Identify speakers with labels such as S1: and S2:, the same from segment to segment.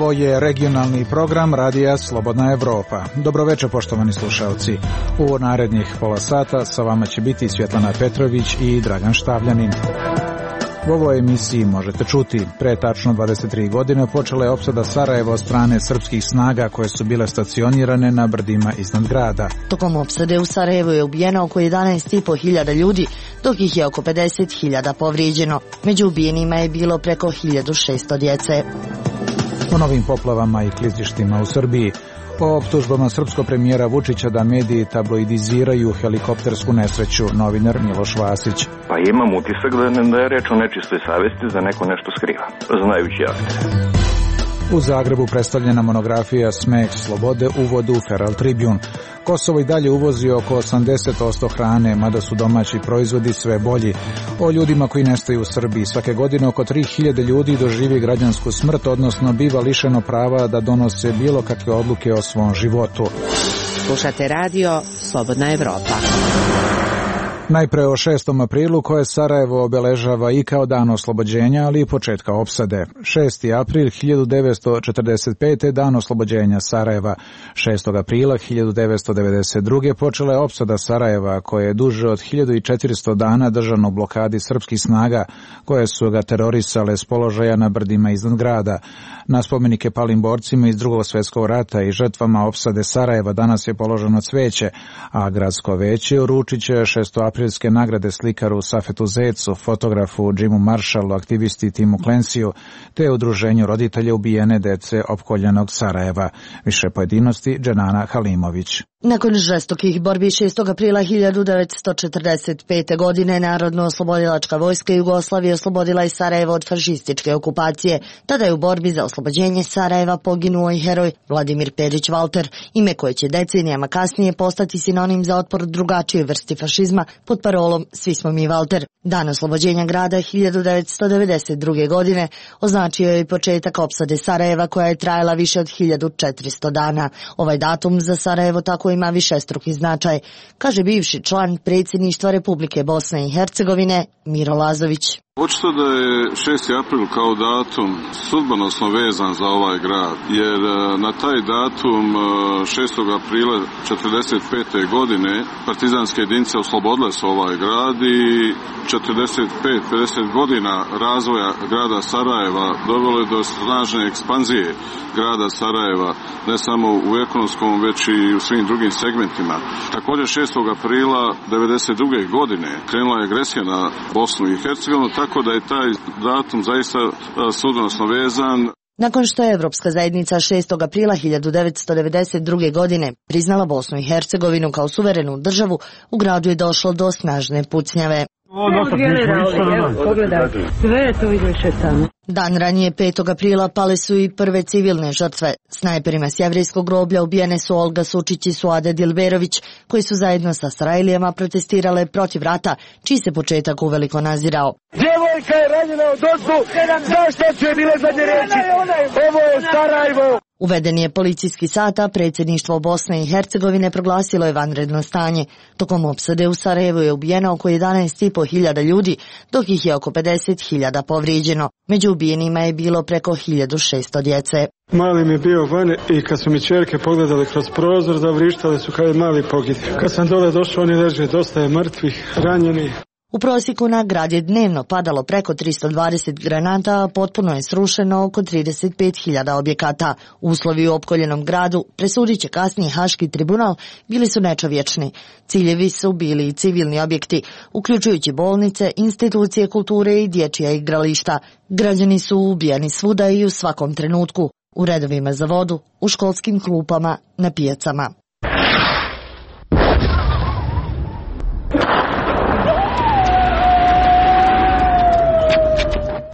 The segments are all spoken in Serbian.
S1: Ovo je regionalni program Radija Slobodna Evropa. Dobroveče, poštovani slušalci. U narednih pola sata sa vama će biti Svjetlana Petrović i Dragan Štavljanin. U ovoj emisiji možete čuti, pre tačno 23 godine počela je opsada Sarajeva od strane srpskih snaga koje su bile stacionirane na brdima iznad grada.
S2: Tokom opsade u Sarajevu je ubijeno oko 11.500 ljudi, dok ih je oko 50.000 povrijeđeno. Među ubijenima je bilo preko 1.600 djece.
S1: O novim poplavama i klizištima u Srbiji, o optužbama srpskog premijera Vučića da mediji tabloidiziraju helikoptersku nesreću, novinar Miloš Vasić.
S3: Pa imam utisak da je reč o nečistoj savjesti, da neko nešto skriva, znajući akte.
S1: U Zagrebu predstavljena monografija Smeh slobode uvod u Feral Tribune. Kosovo i dalje uvozi oko 80% hrane, mada su domaći proizvodi sve bolji. O ljudima koji nestaju u Srbiji. Svake godine oko 3.000 ljudi doživi građansku smrt, odnosno biva lišeno prava da donose bilo kakve odluke o svom životu.
S4: Slušate radio Slobodna Evropa.
S1: Najpre o 6. aprilu koje Sarajevo obeležava i kao dan oslobođenja, ali i početka opsade. 6. april 1945. dan oslobođenja Sarajeva. 6. aprila 1992. počela je opsada Sarajeva koje je duže od 1400 dana držano u blokadi srpskih snaga koje su ga terorisale s položaja na brdima iznad grada. Na spomenike palim borcima iz Drugog svjetskog rata i žrtvama opsade Sarajeva danas je položeno cvijeće, a gradsko veće uručit će 6. aprilske nagrade slikaru Safetu Zecu, fotografu Jimu Marshallu, aktivisti Timu Clancyju, te udruženju roditelja ubijene dece opkoljenog Sarajeva. Više pojedinosti Dženana Halimović.
S2: Nakon žestokih borbi 6. aprila 1945. godine Narodno-oslobodilačka vojska Jugoslavije oslobodila je Sarajevo od fašističke okupacije. Tada je u borbi za oslobođenje Sarajeva poginuo i heroj Vladimir Perić Valter, ime koje će decenijama kasnije postati sinonim za otpor drugačije vrsti fašizma pod parolom Svi smo mi Valter. Dan oslobođenja grada 1992. godine označio je i početak opsade Sarajeva koja je trajala više od 1400 dana. Ovaj datum za Sarajevo tako ima višestruki značaj, kaže bivši član predsjedništva Republike Bosne i Hercegovine Miro Lazović.
S5: Očito da je 6. april kao datum sudbonosno vezan za ovaj grad, jer na taj datum 6. aprila 1945. godine partizanske jedinice oslobodile su ovaj grad i 45-50 godina razvoja grada Sarajeva dovelo je do snažne ekspanzije grada Sarajeva, ne samo u ekonomskom, već i u svim drugim segmentima. Također 6. aprila 1992. godine krenula je agresija na Bosnu i Hercegovinu, tako da je taj datum zaista sudbonosno vezan.
S2: Nakon što je Evropska zajednica 6. aprila 1992. godine priznala Bosnu i Hercegovinu kao suverenu državu, u gradu je došlo do snažne pucnjave. Dan ranije 5. aprila pale su i prve civilne žrtve. Snajperima s Jevrejskog groblja ubijene su Olga Sučić i Suade Dilberović, koji su zajedno sa Sarajlijama protestirale protiv rata, čiji se početak uveliko nazirao.
S6: Djevojka je ranjena od ozdu, zašto će bile zadnje reći? Ovo je Sarajevo!
S2: Uveden je policijski sat, a predsjedništvo Bosne i Hercegovine proglasilo je vanredno stanje. Tokom opsade u Sarajevu je ubijeno oko 11.500 ljudi, dok ih je oko 50.000 povrijeđeno. Među ubijenima je bilo preko 1.600 djece.
S7: Mali mi je bio vani i kad su mi čerke pogledali kroz prozor, zavrištali su kad je mali pogidio. Kad sam dole došao, oni leže, dosta je mrtvih, ranjenih.
S2: U prosjeku na grad je dnevno padalo preko 320 granata, a potpuno je srušeno oko 35.000 objekata. Uslovi u opkoljenom gradu, presudit će kasnije Haški tribunal, bili su nečovječni. Ciljevi su bili i civilni objekti, uključujući bolnice, institucije kulture i dječja igrališta. Građani su ubijani svuda i u svakom trenutku, u redovima za vodu, u školskim klupama, na pijacama.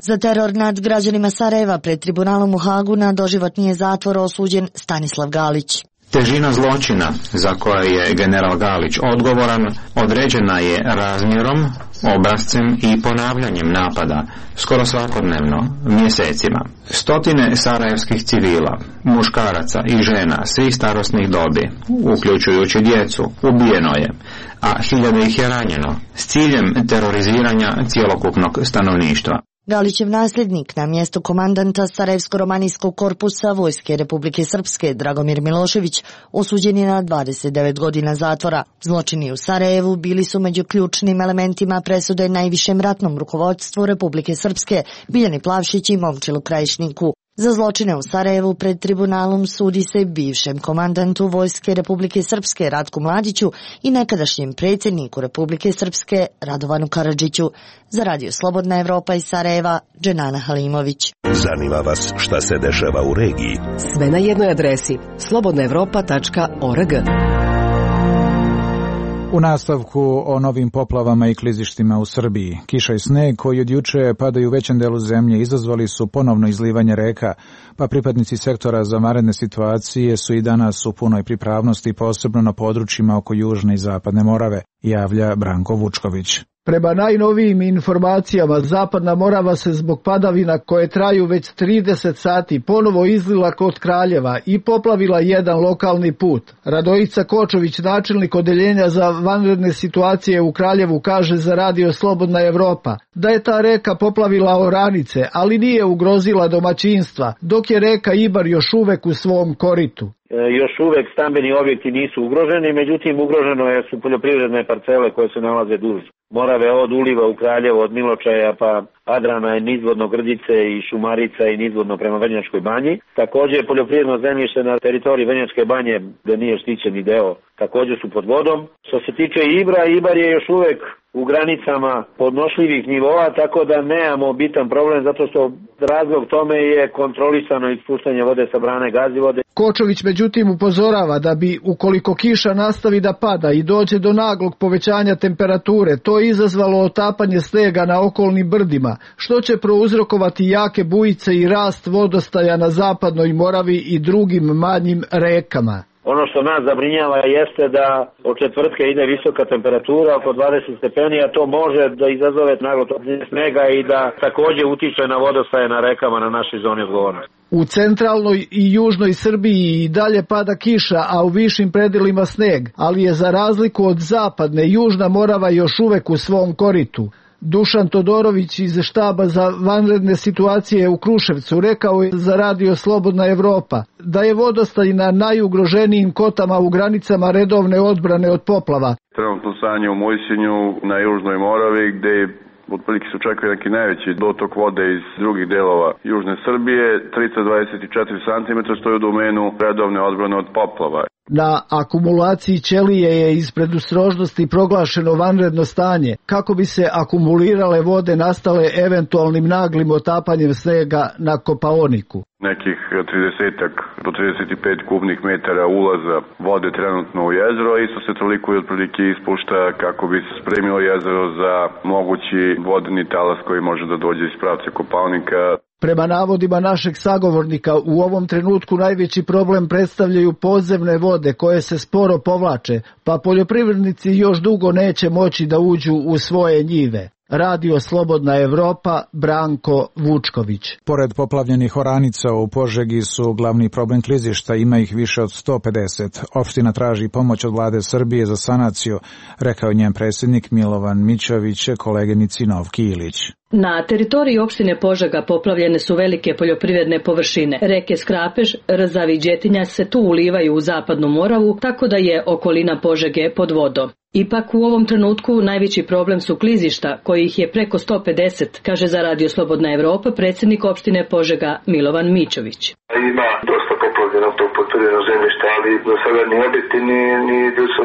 S2: Za teror nad građanima Sarajeva pred tribunalom u Hagu na doživotni je zatvor osuđen Stanislav Galić.
S8: Težina zločina za koje je general Galić odgovoran određena je razmjerom, obrascem i ponavljanjem napada, skoro svakodnevno, mjesecima. Stotine sarajevskih civila, muškaraca i žena svih starosnih dobi, uključujući djecu, ubijeno je, a hiljade ih je ranjeno, s ciljem teroriziranja cjelokupnog stanovništva.
S2: Galićev nasljednik na mjestu komandanta Sarajevsko-romanijskog korpusa Vojske Republike Srpske Dragomir Milošević osuđen je na 29 godina zatvora. Zločini u Sarajevu bili su među ključnim elementima presude najvišem ratnom rukovodstvu Republike Srpske Biljani Plavšić i Momčilu Krajišniku. Za zločine u Sarajevu pred tribunalom sudi se bivšem komandantu Vojske Republike Srpske Ratku Mladiću i nekadašnjem predsjedniku Republike Srpske Radovanu Karadžiću. Za Radio Slobodna Evropa iz Sarajeva, Dženana Halimović.
S9: Zanima vas šta se dešava u regiji?
S10: Sve na jednoj adresi slobodnaevropa.org.
S1: U nastavku o novim poplavama i klizištima u Srbiji. Kiša i sneg koji od juče padaju u većem delu zemlje izazvali su ponovno izlivanje reka, pa pripadnici sektora za vanredne situacije su i danas u punoj pripravnosti, posebno na područjima oko Južne i Zapadne Morave, javlja Branko Vučković.
S11: Prema najnovijim informacijama, Zapadna Morava se zbog padavina koje traju već 30 sati ponovo izlila kod Kraljeva i poplavila jedan lokalni put. Radojica Kočović, načelnik odeljenja za vanredne situacije u Kraljevu, kaže za Radio Slobodna Evropa da je ta reka poplavila oranice, ali nije ugrozila domaćinstva, dok je reka Ibar još uvek u svom koritu.
S12: Još uvek stambeni objekti nisu ugroženi, međutim ugroženo su poljoprivredne parcele koje se nalaze duž Morave od uliva u Kraljevo, od Miločaja pa Adrana i nizvodno Grdice i Šumarica i nizvodno prema Vrnjačkoj banji. Također poljoprivredno zemljište na teritoriji Vrnjačke banje, gde nije štićeni deo, također su pod vodom. Što se tiče Ibra, Ibar je još uvek u granicama podnošljivih nivoa, tako da nemamo bitan problem, zato što razlog tome je kontrolisano ispuštanje vode sa brane Gazivode.
S11: Kočović međutim upozorava da bi, ukoliko kiša nastavi da pada i dođe do naglog povećanja temperature, to izazvalo otapanje snega na okolnim brdima, što će prouzrokovati jake bujice i rast vodostaja na Zapadnoj Moravi i drugim manjim rekama.
S12: Ono što nas zabrinjava jeste da od četvrtka ide visoka temperatura, oko 20 stepeni, a to može da izazove naglo topljenje snega i da također utiče na vodostaje na rekama na našoj zoni odgovornosti.
S11: U centralnoj i južnoj Srbiji i dalje pada kiša, a u višim predelima sneg, ali je za razliku od zapadne, Južna Morava još uvek u svom koritu. Dušan Todorović iz štaba za vanredne situacije u Kruševcu rekao je za Radio Slobodna Evropa da je vodostaj na najugroženijim kotama u granicama redovne odbrane od poplava.
S5: Trenutno stanje u Mojsinju na Južnoj Moravi gde otprilike se očekuje neki najveći dotok vode iz drugih delova Južne Srbije, 324 cm stoji u domenu redovne odbrane od poplava.
S11: Na akumulaciji ćelije je iz predostrožnosti proglašeno vanredno stanje kako bi se akumulirale vode nastale eventualnim naglim otapanjem snega na Kopaoniku.
S5: Nekih 30 do 35 kubnih metara ulaza vode trenutno u jezero, a isto se toliko i otprilike ispušta kako bi se spremilo jezero za mogući vodeni talas koji može da dođe iz pravca Kopaonika.
S11: Prema navodima našeg sagovornika, u ovom trenutku najveći problem predstavljaju podzemne vode koje se sporo povlače, pa poljoprivrednici još dugo neće moći da uđu u svoje njive. Radio Slobodna Evropa, Branko Vučković.
S1: Pored poplavljenih oranica u Požegi su glavni problem klizišta, ima ih više od 150. Opština traži pomoć od vlade Srbije za sanaciju, rekao njen predsjednik Milovan Mićović koleginici Novki Ilić.
S13: Na teritoriji opštine Požega poplavljene su velike poljoprivredne površine. Reke Skrapež, Rzavi i Đetinja se tu ulivaju u Zapadnu Moravu, tako da je okolina Požege pod vodom. Ipak u ovom trenutku najveći problem su klizišta, kojih je preko 150, kaže za Radio Slobodna Evropa predsjednik opštine Požega Milovan Mićović.
S14: Ima dosta poplavljeno tog poljoprivrednog zemljišta, ali do sada ni objekti ni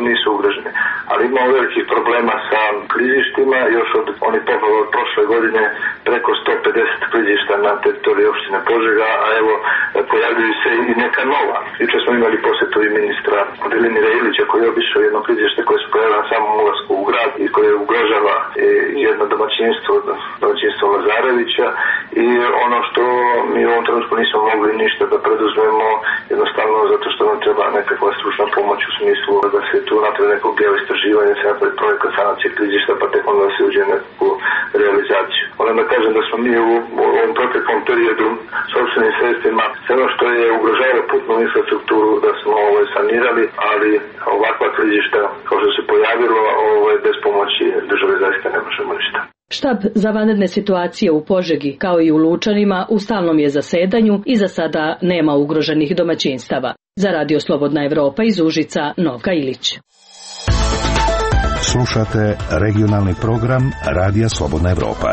S14: nisu ugroženi. Ali imamo velikih problema sa klizištima, još od onih poplava od prošle godine preko 150 klizišta na teritoriji opštine Požega, a evo pojavljuju se i neka nova. Juče smo imali posjetu i ministra Velimira Ilića koji je obišao jedno klizište koje se pojavilo na samom ulasku u grad i koje ugrožava jedno domaćinstvo Lazarevića, i ono što mi u ovom trenutku nismo mogli ništa da preduzmemo, jednostavno zato što nam treba nekakva stručna pomoć u smislu da se tu napravi nekog geoistraživanja, se napravi projekat sanacije klizišta, pa tek onda da se uđe u nekakvu realizaciju. Moram da kažem da smo mi u ovom proteklom periodu sopstvenim sredstvima sve ono što je ugrožavalo putnu infrastrukturu da smo sanirali, ali ovakva klizišta kao što se pojavilo bez pomoći države zaista ne možemo ništa.
S13: Štab za vanredne situacije u Požegi, kao i u Lučanima, u stalnom je zasedanju i za sada nema ugroženih domaćinstava. Za Radio Slobodna Evropa iz Užica, Novka Ilić.
S9: Slušate regionalni program Radija Slobodna Evropa.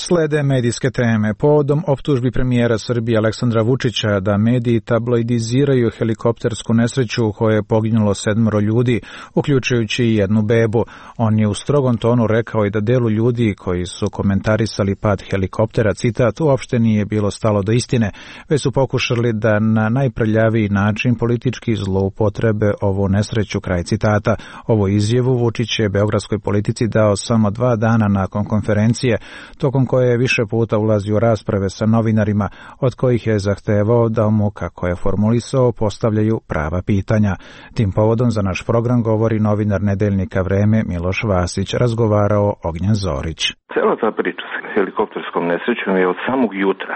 S1: Slede medijske teme. Povodom optužbi premijera Srbije Aleksandra Vučića da mediji tabloidiziraju helikoptersku nesreću u kojoj je poginulo 7 ljudi, uključujući i jednu bebu. On je u strogom tonu rekao i da delu ljudi koji su komentarisali pad helikoptera, citat, uopšte nije bilo stalo do istine, već su pokušali da na najprljaviji način politički zloupotrebe ovu nesreću, kraj citata. Ovo izjavu Vučić je beogradskoj politici dao samo 2 dana nakon konferencije, tokom koje je više puta ulazio u rasprave sa novinarima, od kojih je zahtevao da mu, kako je formulisao, postavljaju prava pitanja. Tim povodom za naš program govori novinar nedeljnika Vreme Miloš Vasić, razgovarao Ognjen Zorić.
S3: Cela ta priča sa helikopterskom nesrećom je od samog jutra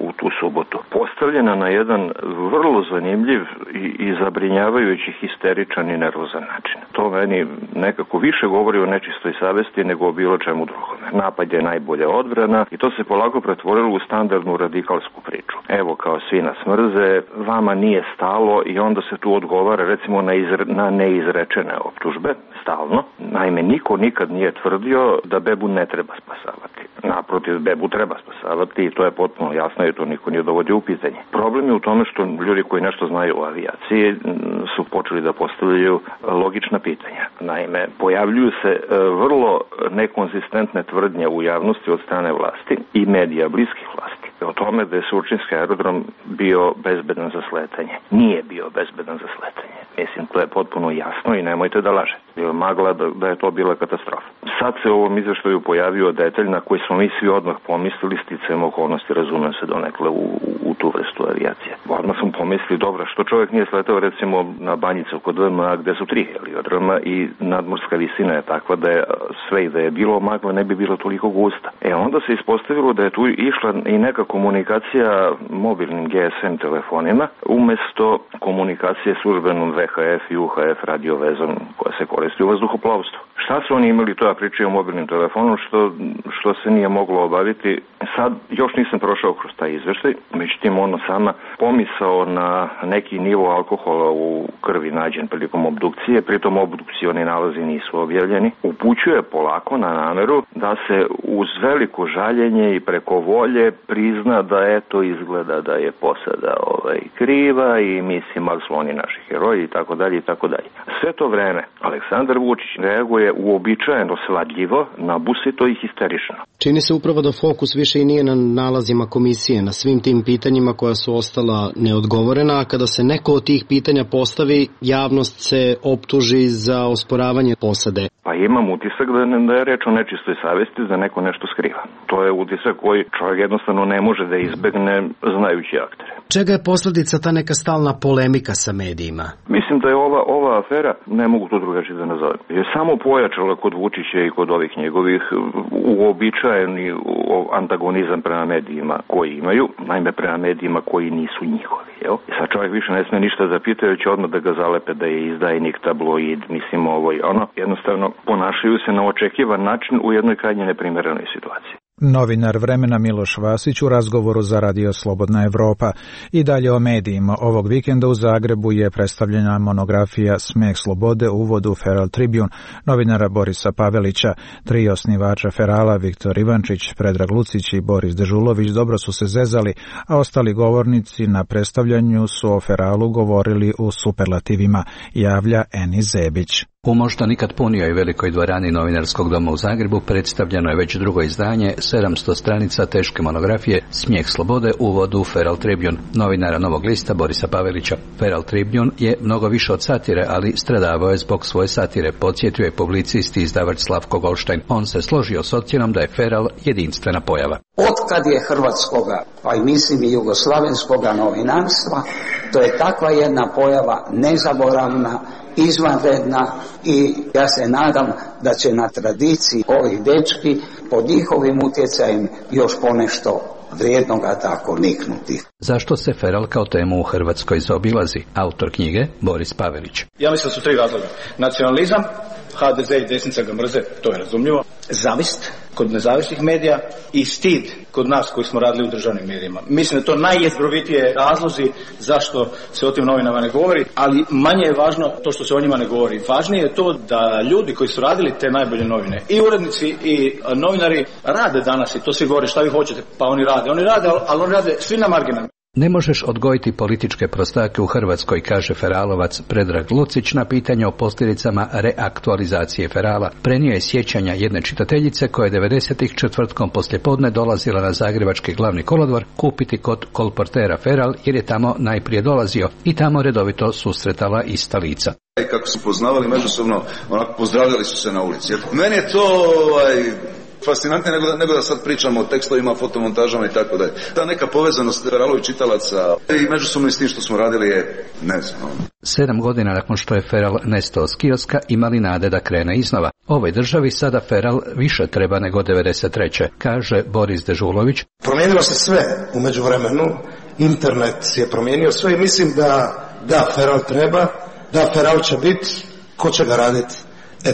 S3: u tu subotu postavljena na jedan vrlo zanimljiv i zabrinjavajući, histeričan i nervozan način. To meni nekako više govori o nečistoj savesti nego o bilo čemu drugome. Napad je najbolja odbrana i to se polako pretvorilo u standardnu radikalsku priču. Evo, kao svi nas mrze, vama nije stalo, i onda se tu odgovara recimo na neizrečene optužbe, stalno. Naime, niko nikad nije tvrdio da bebu ne treba spasavati. Naprotiv, bebu treba spasavati i to je potpuno jasno i to niko nije dovodio u pitanje. Problem je u tome što ljudi koji nešto znaju o avijaciji su počeli da postavljaju logična pitanja. Naime, pojavljuju se vrlo nekonzistentne tvrdnje u javnosti od strane vlasti i medija bliskih vlasti o tome da je Surčinski aerodrom bio bezbedan za sletanje. Nije bio bezbedan za sletanje. Mislim, to je potpuno jasno i nemojte da lažete. Bilo magla da je to bila katastrofa. Sad se u ovom izveštaju pojavio detalj na koji smo mi svi odmah pomislili, sticajem okolnosti, razumem se donekle u tu vrstu avijacije. Odmah smo pomislili, dobro, što čovjek nije sletao recimo na Banjicu kod VMA gde su 3 heliodroma i nadmorska visina je takva da je sve i da je bilo magla ne bi bilo toliko gusta. Onda se ispostavilo da je tu išla i neka komunikacija mobilnim GSM telefonima umesto komunikacije službenom VHF i UHF radiovezom koja se koristi u vazduhoplovstvu. Šta su oni imali, to ja pričaju o mobilnim telefonom, što se nije moglo obaviti. Sad još nisam prošao kroz taj izveštaj, međutim ono sama pomisao na neki nivo alkohola u krvi nađen prilikom obdukcije, pritom obdukcioni nalazi nisu objavljeni, upućuje polako na nameru da se uz veliko žaljenje i preko volje prizna da eto izgleda da je posada kriva i mislim, ali su oni naši heroji i tako dalje i tako dalje. Sve to vreme Aleksandar Vučić reaguje uobičajeno svadljivo, nabusito i histerično.
S15: Čini se upravo da fokus više i nije na nalazima komisije, na svim tim pitanjima koja su ostala neodgovorena, a kada se neko od tih pitanja postavi, javnost se optuži za osporavanje posade.
S3: Pa imam utisak da je reč o nečistoj savesti, da neko nešto skriva. To je utisak koji čovjek jednostavno ne može da izbegne znajući aktere.
S15: Čega je posledica ta neka stalna polemika sa medijima?
S3: Mislim da je ova afera, ne mogu to drugačije da nazovem, je samo pojačala kod Vučića i kod ovih njegovih uobičajeni antagonizam prema medijima koji imaju, naime prema medijima koji nisu njihovi. Sad čovjek više ne sme ništa da pita, jer će odmah da ga zalepe da je izdajnik, tabloid, mislim ovo i ono. Jednostavno ponašaju se na očekivan način u jednoj krajnje neprimerenoj situaciji.
S1: Novinar Vremena Miloš Vasić u razgovoru za Radio Slobodna Evropa. I dalje o medijima. Ovog vikenda u Zagrebu je predstavljena monografija Smeh slobode u uvodu Feral Tribune novinara Borisa Pavelića. 3 osnivača Ferala, Viktor Ivančić, Predrag Lucić i Boris Dežulović, dobro su se zezali, a ostali govornici na predstavljanju su o Feralu govorili u superlativima, javlja Eni Zebić.
S16: U možda nikad punijoj velikoj dvorani Novinarskog doma u Zagrebu predstavljeno je već drugo izdanje 700 stranica teške monografije Smjeh slobode u uvodu Feral Tribune novinara Novog lista Borisa Pavelića. Feral Tribune je mnogo više od satire, ali stradavao je zbog svoje satire, podsjetio je publicist i izdavač Slavko Golštajn. On se složio s ocjenom da je Feral jedinstvena pojava.
S17: Otkad je hrvatskoga, pa i mislim i jugoslavenskoga novinarstva, to je takva jedna pojava nezaboravna, izvanredna i ja se nadam da će na tradiciji ovih dečki pod njihovim utjecajem još ponešto vrijednoga tako niknuti.
S16: Zašto se Feral kao temu u Hrvatskoj zaobilazi? Autor knjige Boris Pavelić.
S18: Ja mislim da su 3 razloga. Nacionalizam, HDZ i desnica ga mrze, to je razumljivo. Zavist kod nezavisnih medija i stid kod nas koji smo radili u državnim medijima. Mislim da to najjezgrovitije razlozi zašto se o tim novinama ne govori, ali manje je važno to što se o njima ne govori. Važnije je to da ljudi koji su radili te najbolje novine, i urednici i novinari, rade danas, i to svi govore šta vi hoćete, pa oni rade, ali oni rade svi na marginama.
S16: Ne možeš odgojiti političke prostake u Hrvatskoj, kaže feralovac Predrag Lucić na pitanje o posljedicama reaktualizacije ferala. Prenio je sjećanja jedne čitateljice koja je 90-ih četvrtkom poslijepodne dolazila na zagrebački glavni kolodvor kupiti kod kolportera feral jer je tamo najprije dolazio i tamo redovito susretala ista lica.
S19: I kako su poznavali međusobno, onako pozdravljali su se na ulici. Meni je to fascinantnije nego da sad pričamo o tekstovima, fotomontažama i tako dalje. Ta neka povezanost Feralovih čitalaca i međusobno s tim što smo radili je ne znam.
S16: 7 godina nakon što je feral nestao s kioska imali nade da krene iznova. Ovoj državi sada feral više treba nego 93. kaže Boris Dežulović.
S20: Promijenilo se sve u međuvremenu, internet je promijenio sve i mislim da feral treba, da feral će biti, ko će ga raditi,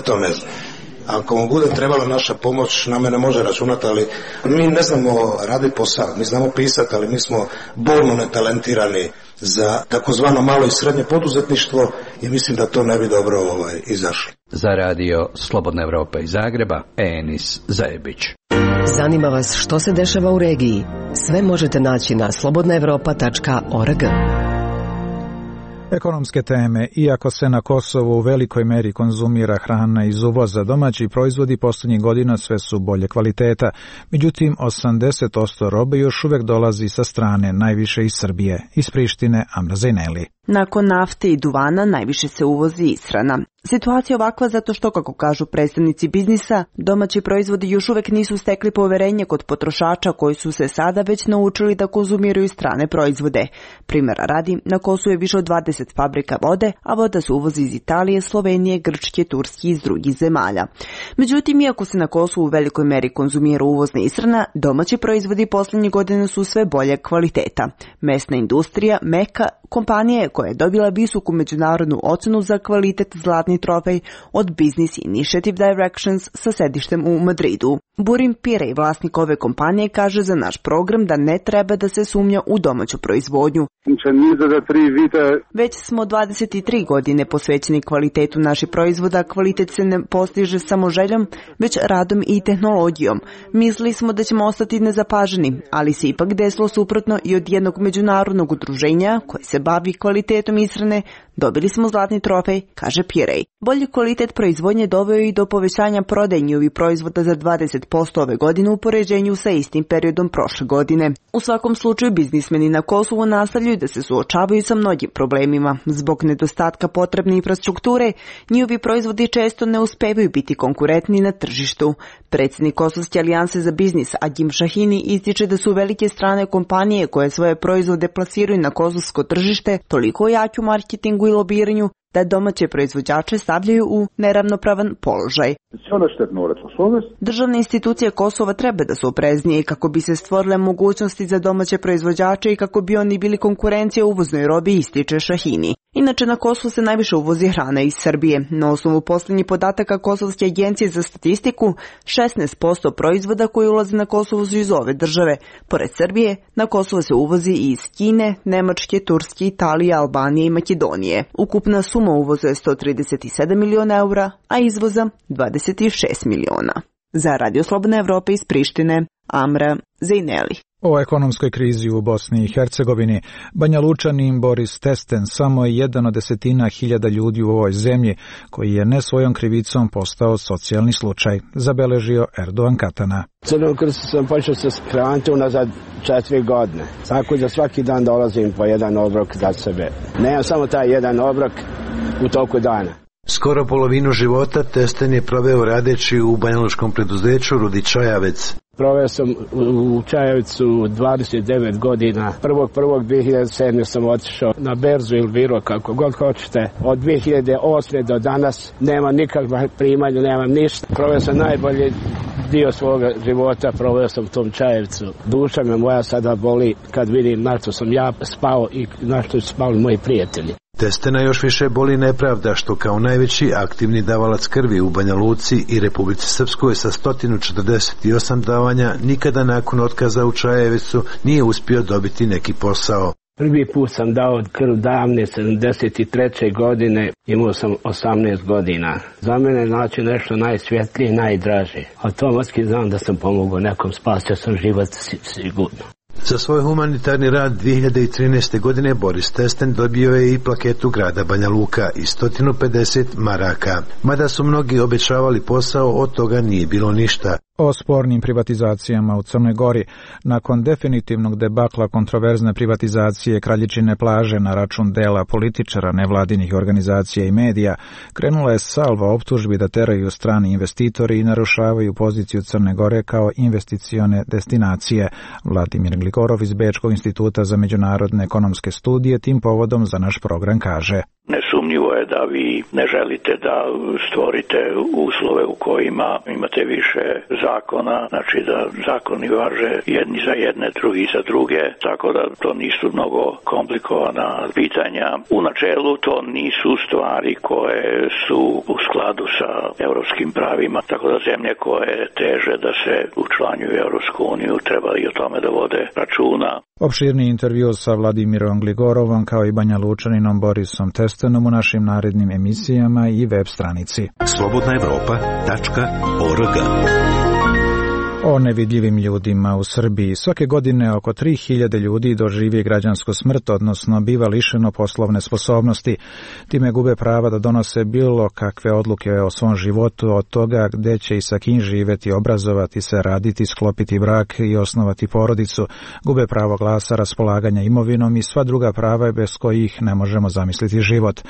S20: to ne znam. Ako mu bude trebala naša pomoć, na mene može računati, ali mi ne znamo raditi posao, mi znamo pisati, ali mi smo bolno netalentirani za takozvano malo i srednje poduzetništvo i mislim da to ne bi dobro izašlo.
S16: Za radio Slobodna Evropa iz Zagreba, Enis Zajebić.
S10: Zanima vas što se dešava u regiji? Sve možete naći na slobodnaevropa.org.
S1: Ekonomske teme. Iako se na Kosovu u velikoj meri konzumira hrana iz uvoza, domaći proizvodi posljednjih godina sve su bolje kvaliteta. Međutim, 80% robe još uvijek dolazi sa strane, najviše iz Srbije. Iz Prištine, Amra Zejneli.
S21: Nakon nafte i duvana najviše se uvozi ishrana. Situacija je ovakva zato što, kako kažu predstavnici biznisa, domaći proizvodi još uvijek nisu stekli poverenje kod potrošača koji su se sada već naučili da konzumiraju strane proizvode. Primjera radi, na Kosovu je više od 20 fabrika vode, a voda se uvozi iz Italije, Slovenije, Grčke, Turske i iz drugih zemalja. Međutim, iako se na Kosovu u velikoj meri konzumira uvozna ishrana, domaći proizvodi posljednjih godina su sve bolje kvaliteta. Mesna industrija, Meka, kompanija koja je dobila visoku međunarodnu ocenu za kvalitet zlatni trofej od Business Initiative Directions sa sedištem u Madridu. Burim Pirej, vlasnik ove kompanije, kaže za naš program da ne treba da se sumnja u domaću proizvodnju. Već smo 23 godine posvećeni kvalitetu naših proizvoda. Kvalitet se ne postiže samo željom, već radom i tehnologijom. Mislili smo da ćemo ostati nezapaženi, ali se ipak desilo suprotno i od jednog međunarodnog udruženja koje se bavi kvalitetom ishrane dobili smo zlatni trofej, kaže Pirej. Bolji kvalitet proizvodnje doveo i do povećanja prodaje njihovih proizvoda za 20% ove godine u poređenju sa istim periodom prošle godine. U svakom slučaju, biznismeni na Kosovu nastavljaju da se suočavaju sa mnogim problemima. Zbog nedostatka potrebne infrastrukture, njihovi proizvodi često ne uspevaju biti konkurentni na tržištu. Predsjednik Kosovske alijanse za biznis Agim Šahini ističe da su velike strane kompanije koje svoje proizvode plasiraju na kosovsko tržište toliko jaki u marketingu i lobiranju da domaće proizvođače stavljaju u neravnopravan položaj. Državne institucije Kosova treba da su opreznije kako bi se stvorile mogućnosti za domaće proizvođače i kako bi oni bili konkurencija uvoznoj robi, ističe Šahini. Inače, na Kosovu se najviše uvozi hrana iz Srbije. Na osnovu posljednjih podataka Kosovske agencije za statistiku, 16% proizvoda koji ulaze na Kosovo su iz ove države. Pored Srbije, na Kosovo se uvozi i iz Kine, Nemačke, Turske, Italije, Albanije i Makedonije. Ukupna suma uvoza je 137 miliona eura, a izvoza 26 miliona. Za Radio Slobodna Evropa iz Prištine, Amra Zejneli.
S1: O ekonomskoj krizi u Bosni i Hercegovini, Banja Lučanin Boris Testen samo je jedan od 10.000 ljudi u ovoj zemlji koji je ne svojom krivicom postao socijalni slučaj, zabeležio Erdogan Katana.
S22: Crnom krstu sam počeo se hraniti unazad 4 godine, tako da svaki dan dolazim po jedan obrok za sebe. Nemam samo taj jedan obrok u toku dana.
S23: Skoro polovinu života Testen je proveo radeći u banjalučkom preduzeću Rudi Čajavec.
S22: Proveo sam u Čajevicu 29 godina. 1.1.2007. sam otišao na berzu ili biro, kako god hoćete. Od 2008. do danas nema nikakva primanja, nemam ništa. Proveo sam najbolji dio svoga života, proveo sam u tom Čajevcu. Duša me moja sada boli kad vidim na što sam ja spao i na što su spali moji prijatelji.
S23: Testena još više boli nepravda što kao najveći aktivni davalac krvi u Banja Luci i Republici Srpskoj sa 148 davanja nikada nakon otkaza u Čajevicu nije uspio dobiti neki posao.
S22: Prvi put sam dao krv davne 73. godine, imao sam 18 godina. Za mene znači nešto najsvjetlije i najdraže. Automatski znam da sam pomogao nekom, spasio sam život sigurno.
S23: Za svoj humanitarni rad 2013. godine Boris Testen dobio je i plaketu grada Banja Luka i 150 maraka. Mada su mnogi obećavali posao, od toga nije bilo ništa.
S1: O spornim privatizacijama u Crnoj Gori. Nakon definitivnog debakla kontroverzne privatizacije Kraljičine plaže na račun dela političara, nevladinih organizacija i medija, krenula je salva optužbi da teraju strani investitori i narušavaju poziciju Crne Gore kao investicione destinacije. Vladimir Gligorov iz Bečkog instituta za međunarodne ekonomske studije tim povodom za naš program kaže:
S4: Nesumnjivo je da vi ne želite da stvorite uslove u kojima imate više zakona, znači da zakoni važe jedni za jedne, drugi za druge, tako da to nisu mnogo komplikovana pitanja. U načelu to nisu stvari koje su u skladu sa evropskim pravima, tako da zemlje koje teže da se učlanjuju u Evropsku uniju treba i o tome da vode računa.
S1: Opširni intervju sa Vladimirom Gligorovom kao i Banja Lučaninom Borisom Testenom u našim narednim emisijama i web stranici.
S9: slobodnaevropa.org.
S1: O nevidljivim ljudima u Srbiji. Svake godine oko 3000 ljudi doživi građansku smrt, odnosno biva lišeno poslovne sposobnosti. Time gube prava da donose bilo kakve odluke o svom životu, od toga gde će i sa kim živeti, obrazovati se, raditi, sklopiti brak i osnovati porodicu. Gube pravo glasa, raspolaganja imovinom i sva druga prava bez kojih ne možemo zamisliti život.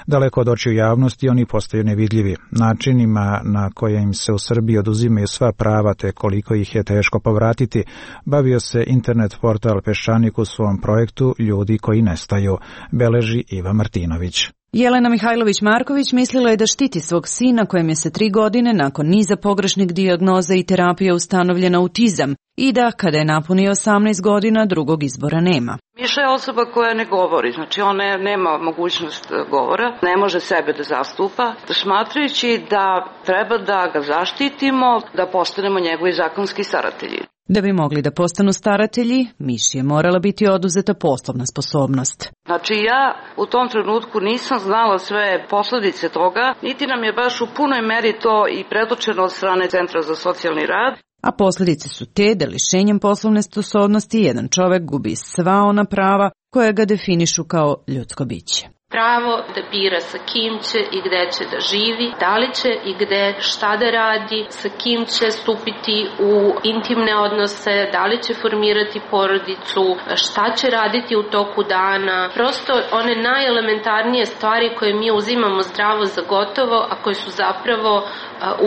S1: Daleko od očiju javnosti oni postaju nevidljivi. Načinima na koje im se u Srbiji oduzimaju sva prava te koliko ih je teško povratiti, bavio se internet portal Peščanik u svom projektu Ljudi koji nestaju, beleži Iva Martinović.
S6: Jelena Mihajlović-Marković mislila je da štiti svog sina kojem je sa 3 godine nakon niza pogrešnih dijagnoza i terapija ustanovljen autizam i da kada je napunio 18 godina drugog izbora nema.
S7: Miša je osoba koja ne govori, znači ona nema mogućnost govora, ne može sebe da zastupa, smatrajući da treba da ga zaštitimo, da postanemo njegovi zakonski staratelji.
S6: Da bi mogli da postanu staratelji, Miši je morala biti oduzeta poslovna sposobnost.
S7: Znači ja u tom trenutku nisam znala sve posledice toga, niti nam je baš u punoj meri to i predočeno od strane Centra za socijalni rad.
S6: A posljedice su te da lišenjem poslovne sposobnosti jedan čovek gubi sva ona prava koja ga definišu kao ljudsko biće.
S24: Pravo da bira sa kim će i gde će da živi, da li će i gde šta da radi, sa kim će stupiti u intimne odnose, da li će formirati porodicu, šta će raditi u toku dana. Prosto one najelementarnije stvari koje mi uzimamo zdravo za gotovo, a koje su zapravo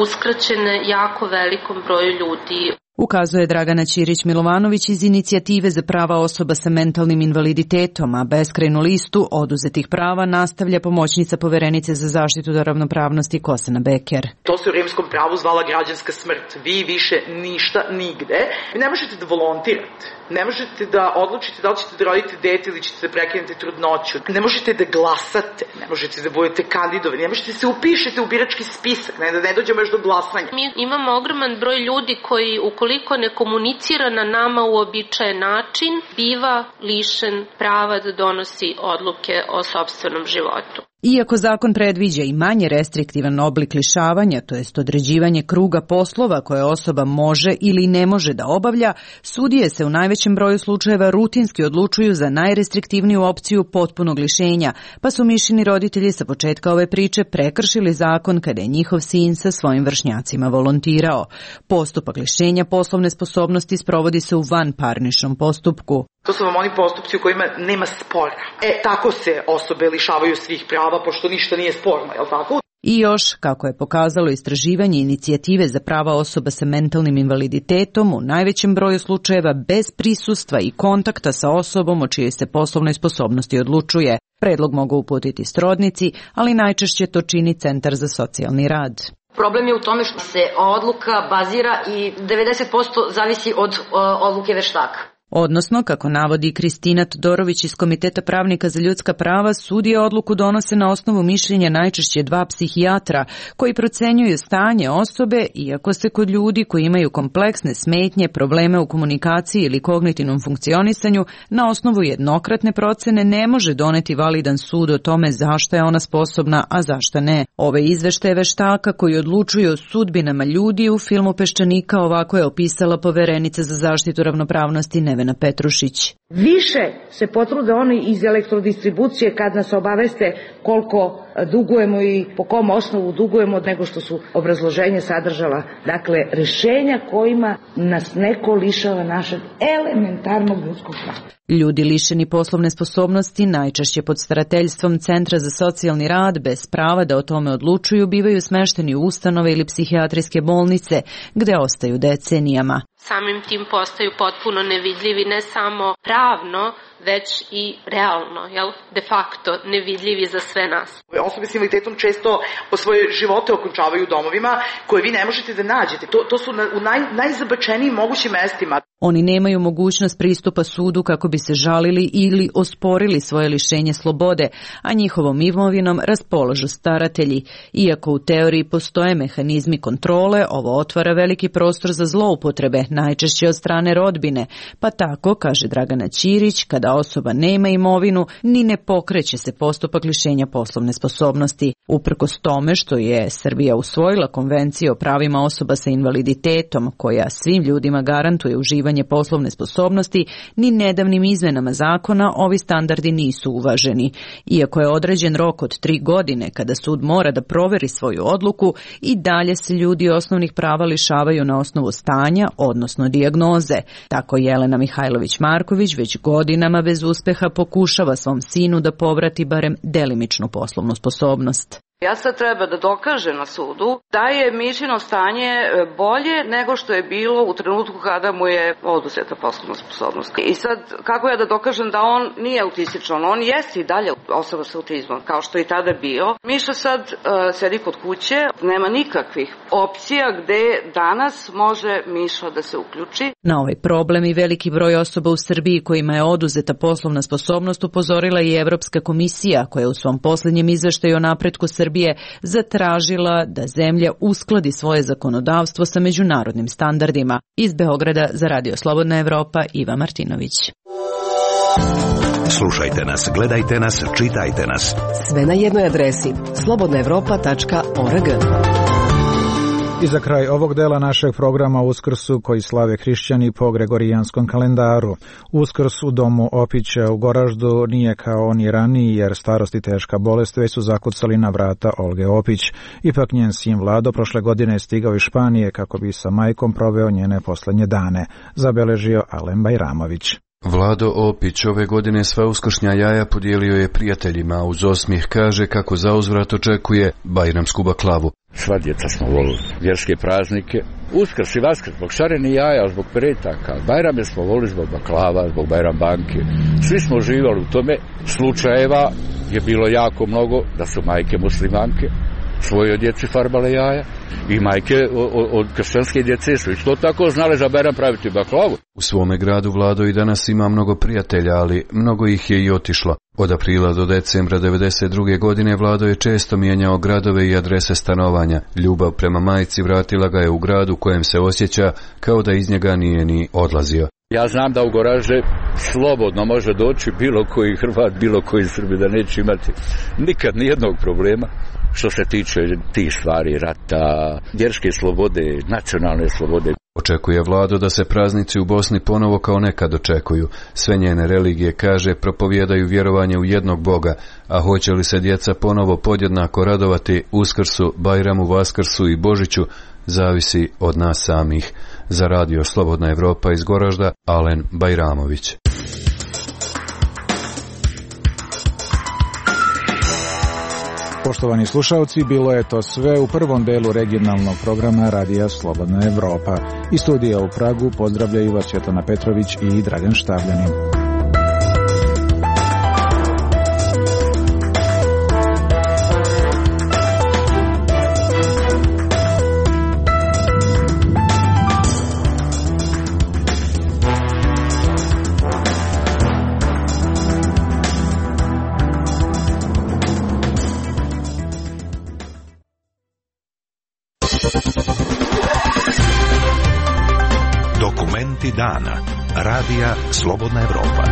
S24: uskraćene jako velikom broju ljudi.
S6: Ukazuje Dragana Ćirić-Milovanović iz Inicijative za prava osoba sa mentalnim invaliditetom, a beskrajnu listu oduzetih prava nastavlja pomoćnica poverenice za zaštitu ravnopravnosti Kosana Beker.
S25: To se u rimskom pravu zvala građanska smrt. Vi više ništa nigde. Vi ne možete da volontirate. Ne možete da odlučite da li ćete da rodite dete ili ćete da prekinete trudnoću. Ne možete da glasate. Ne možete da budete kandidovani. Ne možete da se upišete u birački spisak. Da ne dođemo još do glasanja.
S24: Mi imamo ogroman broj ljudi koji ukoliko ne komunicira na nama uobičajen način, biva lišen prava da donosi odluke o sopstvenom životu.
S6: Iako zakon predviđa i manje restriktivan oblik lišavanja, to jest određivanje kruga poslova koje osoba može ili ne može da obavlja, sudije se u najvećem broju slučajeva rutinski odlučuju za najrestriktivniju opciju potpunog lišenja, pa su Mišini roditelji sa početka ove priče prekršili zakon kada je njihov sin sa svojim vršnjacima volontirao. Postupak lišenja poslovne sposobnosti sprovodi se u vanparničnom postupku.
S25: To su vam oni postupci u kojima nema spora. Tako se osobe lišavaju svih prava, pošto ništa nije sporno, je li tako?
S6: I još, kako je pokazalo istraživanje Inicijative za prava osoba sa mentalnim invaliditetom, u najvećem broju slučajeva bez prisustva i kontakta sa osobom o čijoj se poslovnoj sposobnosti odlučuje. Predlog mogu uputiti srodnici, ali najčešće to čini Centar za socijalni rad.
S26: Problem je u tome što se odluka bazira i 90% zavisi od odluke veštaka.
S6: Odnosno, kako navodi Kristina Todorović iz Komiteta pravnika za ljudska prava, sudije odluku donose na osnovu mišljenja najčešće 2 psihijatra koji procenjuju stanje osobe, iako se kod ljudi koji imaju kompleksne smetnje, probleme u komunikaciji ili kognitivnom funkcionisanju, na osnovu jednokratne procene ne može doneti validan sud o tome zašto je ona sposobna, a zašto ne. Ove izveštaje veštaka koji odlučuju o sudbinama ljudi u filmu Peščanika ovako je opisala poverenica za zaštitu ravnopravnosti Nevena Petrušić.
S2: Više se potrude oni iz elektrodistribucije kad nas obaveste koliko dugujemo i po kom osnovu dugujemo nego što su obrazloženje sadržala. Dakle, rešenja kojima nas neko lišava našeg elementarnog ljudskog prava.
S6: Ljudi lišeni poslovne sposobnosti, najčešće pod starateljstvom Centra za socijalni rad, bez prava da o tome odlučuju, bivaju smešteni u ustanove ili psihijatrijske bolnice, gde ostaju decenijama.
S24: Samim tim postaju potpuno nevidljivi ne samo pravno, već i realno, de facto nevidljivi za sve nas.
S25: Osobe s invaliditetom često po svoje živote okončavaju u domovima koje vi ne možete da nađete. To su u najzabačenijim mogućim mestima.
S6: Oni nemaju mogućnost pristupa sudu kako bi se žalili ili osporili svoje lišenje slobode, a njihovom imovinom raspolažu staratelji. Iako u teoriji postoje mehanizmi kontrole, ovo otvara veliki prostor za zloupotrebe, najčešće od strane rodbine, pa tako, kaže Dragana Ćirić, kada osoba nema imovinu, ni ne pokreće se postupak lišenja poslovne sposobnosti. Uprkos tome što je Srbija usvojila Konvenciju o pravima osoba sa invaliditetom, koja svim ljudima garantuje uživanje poslovne sposobnosti, ni nedavnim izmenama zakona ovi standardi nisu uvaženi. Iako je određen rok od 3 godine kada sud mora da proveri svoju odluku, i dalje se ljudi osnovnih prava lišavaju na osnovu stanja, odnosno dijagnoze. Tako Jelena Mihajlović-Marković već godinama bez uspeha pokušava svom sinu da povrati barem delimičnu poslovnu sposobnost.
S7: Ja sad treba da dokaže na sudu da je Mišino stanje bolje nego što je bilo u trenutku kada mu je oduzeta poslovna sposobnost. I sad, kako ja da dokažem da on nije autističan? On jeste i dalje osoba sa autizmom, kao što je i tada bio. Miša sad sedi kod kuće, nema nikakvih opcija gde danas može Miša da se uključi.
S6: Na ovaj problem i veliki broj osoba u Srbiji kojima je oduzeta poslovna sposobnost upozorila i Evropska komisija, koja je u svom posljednjem izveštaju o napretku Srbije zatražila da zemlja uskladi svoje zakonodavstvo sa međunarodnim standardima. Iz Beograda za Radio Slobodna Evropa, Iva Martinović.
S9: Slušajte nas, gledajte nas, čitajte nas.
S10: Sve na jednoj adresi slobodnaevropa.org.
S1: I za kraj ovog dela našeg programa Uskrsu koji slave hrišćani po gregorijanskom kalendaru. Uskrs u domu Opića u Goraždu nije kao oni raniji jer starost i teška bolest već su zakucali na vrata Olge Opić. Ipak njen sin Vlado prošle godine je stigao iz Španije kako bi sa majkom proveo njene poslednje dane, zabeležio Alen Bajramović.
S5: Vlado Opić ove godine sva uskršnja jaja podijelio je prijateljima, uz osmijeh kaže kako zauzvrat očekuje bajramsku baklavu.
S8: Sva djeca smo volili vjerske praznike, Uskrs i Vaskrs zbog šareni jaja, zbog peretaka, Bajrame smo volili zbog baklava, zbog Bajram banke. Svi smo uživali u tome. Slučajeva je bilo jako mnogo da su majke muslimanke svojoj djeci farbale jaja i majke od kršćanske djece su isto tako znale za Bajram praviti baklavu.
S5: U svome gradu Vlado i danas ima mnogo prijatelja, ali mnogo ih je i otišlo. Od aprila do decembra 1992. godine Vlado je često mijenjao gradove i adrese stanovanja. Ljubav prema majci vratila ga je u grad u kojem se osjeća kao da iz njega nije ni odlazio.
S8: Ja znam da u Goražde slobodno može doći bilo koji Hrvat, bilo koji Srbi, da neće imati nikad nijednog problema što se tiče tih stvari, rata, vjerske slobode, nacionalne slobode.
S5: Očekuje Vlado da se praznici u Bosni ponovo kao nekad očekuju. Sve njene religije, kaže, propovijedaju vjerovanje u jednog Boga, a hoće li se djeca ponovo podjednako radovati Uskrsu, Bajramu, Vaskrsu i Božiću, zavisi od nas samih. Za Radio Slobodna Evropa iz Goražda, Alen Bajramović.
S1: Poštovani slušalci, bilo je to sve u prvom delu regionalnog programa Radija Slobodna Evropa. Iz studija u Pragu pozdravljaju vas Svetlana Petrović i Dragan Štavljanin.
S9: Dokumenti dana. Radija Slobodna Evropa.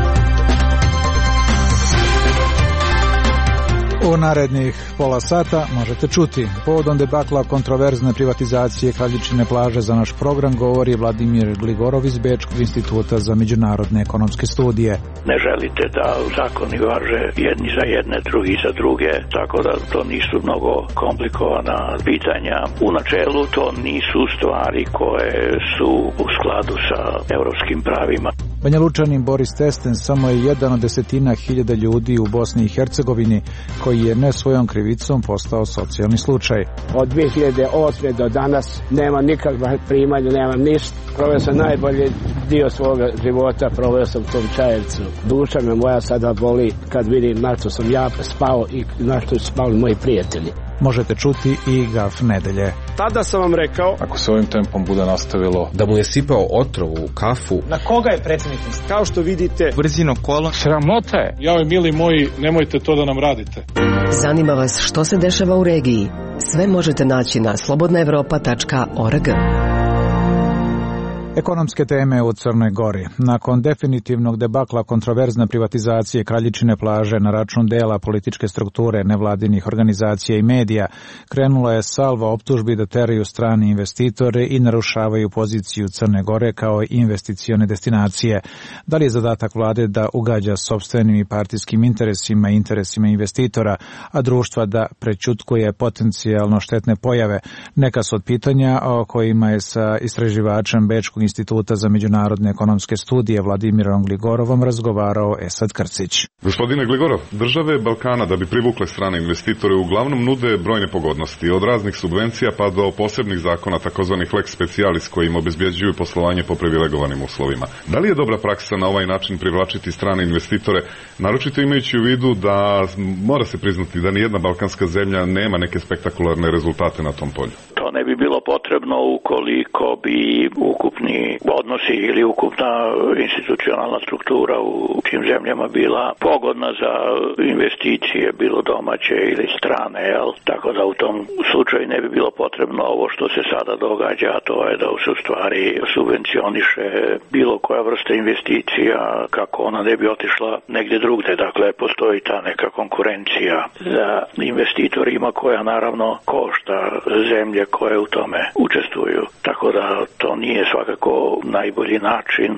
S1: U narednih pola sata možete čuti. Povodom debakla kontroverzne privatizacije Kraljičine plaže za naš program govori Vladimir Gligorov iz Bečkog instituta za međunarodne ekonomske studije.
S4: Ne želite da zakoni važe jedni za jedne, drugi za druge, tako da to nisu mnogo komplikovana pitanja. U načelu to nisu stvari koje su u skladu sa evropskim pravima.
S1: Banjalučanin Boris Testen samo je jedan od desetina hiljada ljudi u Bosni i Hercegovini koji je ne svojom krivicom postao socijalni slučaj.
S22: Od 2008. do danas nema nikakva primanja, nema ništa. Proveo sam najbolji dio svoga života, proveo sam u tom Čajevcu. Duša me moja sada boli kad vidim na što sam ja spao i na što su spali moji prijatelji.
S1: Možete čuti i Gaf nedelje.
S11: Tada sam vam rekao,
S12: ako se ovim tempom bude nastavilo,
S13: da mu je sipao otrov u kafu.
S11: Na koga je predsjednik? Kao što vidite,
S12: brzino kola.
S11: Sramota je.
S12: Jao, mili moji, nemojte to da nam radite.
S10: Zanima vas što se dešava u regiji? Sve možete naći na slobodnaevropa.org.
S1: Ekonomske teme u Crnoj Gori. Nakon definitivnog debakla kontroverzne privatizacije Kraljičine plaže na račun dela političke strukture nevladinih organizacija i medija, krenula je salva optužbi da teraju strani investitore i narušavaju poziciju Crne Gore kao investicione destinacije. Da li je zadatak vlade da ugađa sopstvenim i partijskim interesima i interesima investitora, a društva da prećutkuje potencijalno štetne pojave? Neka su od pitanja o kojima je sa istraživačem Bečkog instituta za međunarodne ekonomske studije Vladimirom Gligorovom razgovarao Esad Krcić.
S14: Gospodine Gligorov, države Balkana da bi privukle strane investitore uglavnom nude brojne pogodnosti, od raznih subvencija pa do posebnih zakona takozvanih lex specialis kojim obezbjeđuju poslovanje po privilegovanim uslovima. Da li je dobra praksa na ovaj način privlačiti strane investitore, naročito imajući u vidu da mora se priznati da nijedna balkanska zemlja nema neke spektakularne rezultate na tom polju?
S4: To ne bi bilo potrebno ukoliko bi ukupni odnosi ili ukupna institucionalna struktura u tim zemljama bila pogodna za investicije, bilo domaće ili strane, jel? Tako da u tom slučaju ne bi bilo potrebno ovo što se sada događa, a to je da se u stvari subvencioniše bilo koja vrsta investicija kako ona ne bi otišla negdje drugde. Dakle, postoji ta neka konkurencija za investitorima koja naravno košta zemlje koje u tome učestvuju. Tako da to nije svakako najbolji način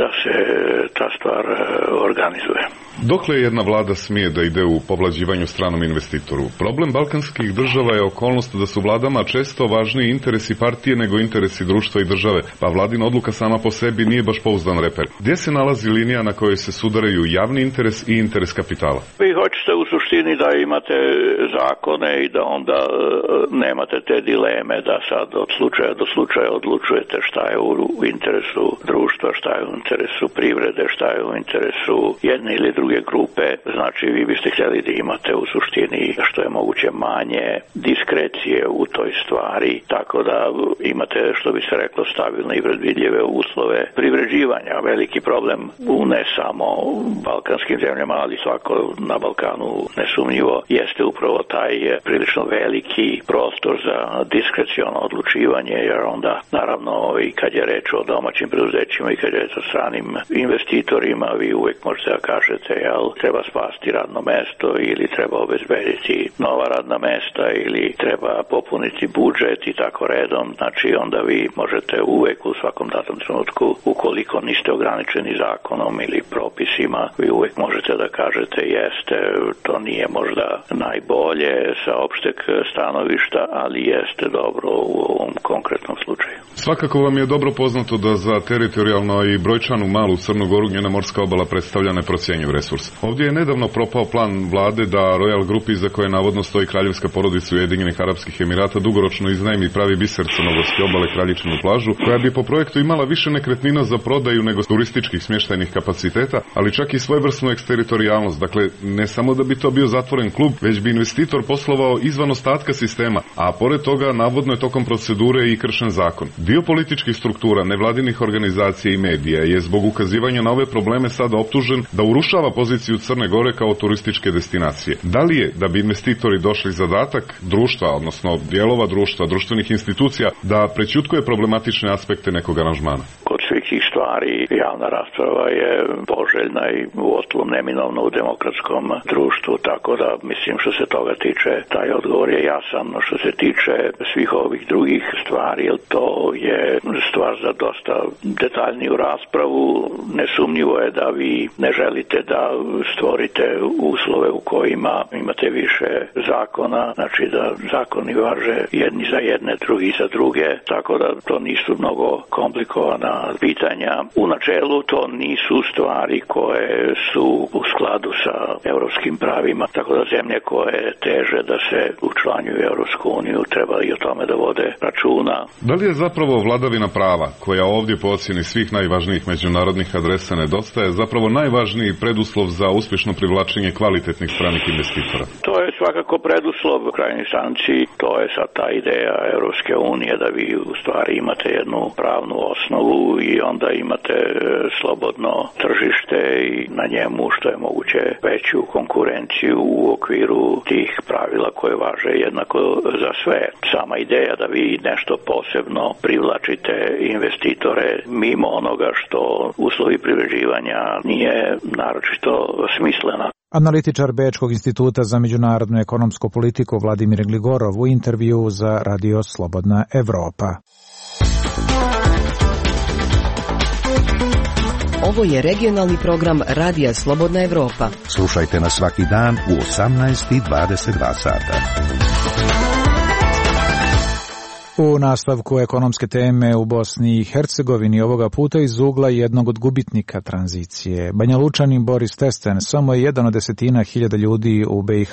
S4: da se ta stvar organizuje.
S14: Dokle jedna vlada smije da ide u povlađivanju stranom investitoru? Problem balkanskih država je okolnost da su vladama često važniji interesi partije nego interesi društva i države, pa vladina odluka sama po sebi nije baš pouzdan reper. Gdje se nalazi linija na kojoj se sudaraju javni interes i interes kapitala?
S4: Vi hoćete u suštini da imate zakone i da onda nemate te dileme da sad od slučaja do slučaja odlučujete šta je u interesu društva, šta je u interesu privrede, šta je u interesu jedne ili druge grupe. Znači vi biste htjeli da imate u suštini što je moguće manje diskrecije u toj stvari, tako da imate, što bi se reklo, stabilne i predvidljive uslove privređivanja. Veliki problem u ne samo balkanskim zemljama, ali svako na Balkanu nesumnjivo jeste upravo taj prilično veliki prostor za diskreciono odlučivanje, jer onda naravno i kad je reč o domaćim preduzećima i kad je reč o stranim investitorima, vi uvijek možete da kažete, jel, treba spasti radno mesto ili treba obezbediti nova radna mesta ili treba popuniti budžet i tako redom. Znači onda vi možete uvijek u svakom datom trenutku, ukoliko niste ograničeni zakonom ili propisima, vi uvijek možete da kažete jeste, to nije možda najbolje sa opšteg stanovišta, ali jeste dobro u ovom konkretnom slučaju.
S14: Svakako vam je dobro poznato da za teritorijalno i brojčanu malu Crnu Goru njena morska obala predstavlja neprocjenjiv resurs. Ovdje je nedavno propao plan vlade da Royal Grupi, za koje navodno stoji kraljevska porodica Ujedinjenih Arapskih Emirata, dugoročno iznajmi pravi biser crnogorske obale Kraljičinu plažu, koja bi po projektu imala više nekretnina za prodaju nego turističkih smještajnih kapaciteta, ali čak i svojevrsnu eksteritorijalnost. Dakle, ne samo da bi to bio zatvoren klub, već bi investitor poslovao izvan ostatka sistema, a pored toga navodno je tokom procedure i kršen zakon. Dio političkih struktura, nevladinih organizacija i medija je zbog ukazivanja na ove probleme sada optužen da urušava poziciju Crne Gore kao turističke destinacije. Da li je, da bi investitori došli zadatak društva, odnosno dijelova društva, društvenih institucija, da prećutkuje problematične aspekte nekog aranžmana?
S4: Kod svih tih stvari javna rasprava je poželjna i uostalom neminovna u demokratskom društvu, tako da mislim što se toga tiče, taj odgovor je jasan. Što se tiče svih ovih drugih stvari, to je stvar za dosta detaljniju raspravu. Nesumnjivo je da vi ne želite da stvorite uslove u kojima imate više zakona, znači da zakoni važe jedni za jedne, drugi za druge, tako da to nisu mnogo komplikovana pitanja. U načelu to nisu stvari koje su u skladu sa evropskim pravima, tako da zemlje koje teže da se učlanjuju u Evropsku uniju treba i o tome da vode računa.
S14: Da li je zapravo vladavina prava, koja ovdje po ocjeni svih najvažnijih međunarodnih adresa nedostaje, zapravo najvažniji preduslov za uspješno privlačenje kvalitetnih stranih investitora?
S4: To je svakako preduslov u krajnjoj instanci, to je sad ta ideja Evropske unije da vi u stvari imate jednu pravnu osnovu i onda imate slobodno tržište i na njemu što je moguće veću konkurenciju u okviru tih pravila koje važe jednako za sve. Sama ideja da vi nešto posebno privlačite investitore mimo onoga što uslovi privređivanja nije naročito smislena.
S1: Analitičar Bečkog instituta za međunarodnu ekonomsku politiku Vladimir Gligorov u intervju za Radio Slobodna Evropa.
S10: Ovo je regionalni program Radija Slobodna Evropa.
S9: Slušajte nas svaki dan u 18:22 sata.
S1: U nastavku ekonomske teme u Bosni i Hercegovini ovoga puta iz ugla jednog od gubitnika tranzicije. Banjalučanin Boris Testen samo je jedan od 10.000 ljudi u BiH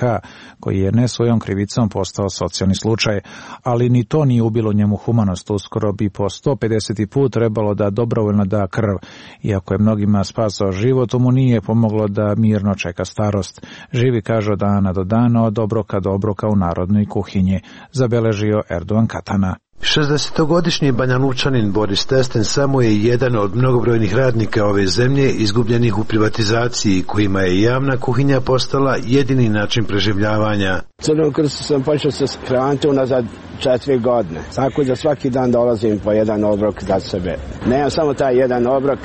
S1: koji je ne svojom krivicom postao socijalni slučaj, ali ni to nije ubilo njemu humanost. Uskoro bi po 150. put trebalo da dobrovoljno da krv. Iako je mnogima spasao život, mu nije pomoglo da mirno čeka starost. Živi, kaže, od dana do dana, od obroka do obroka u narodnoj kuhinji, zabeležio Erdogan Katana.
S23: 60-godišnji Banjalučanin Boris Testen samo je jedan od mnogobrojnih radnika ove zemlje izgubljenih u privatizaciji, kojima je javna kuhinja postala jedini način preživljavanja.
S22: Crnom krstu sam počeo se hraniti unazad 4 godine. Tako da svaki dan dolazim po jedan obrok za sebe. Nemam samo taj jedan obrok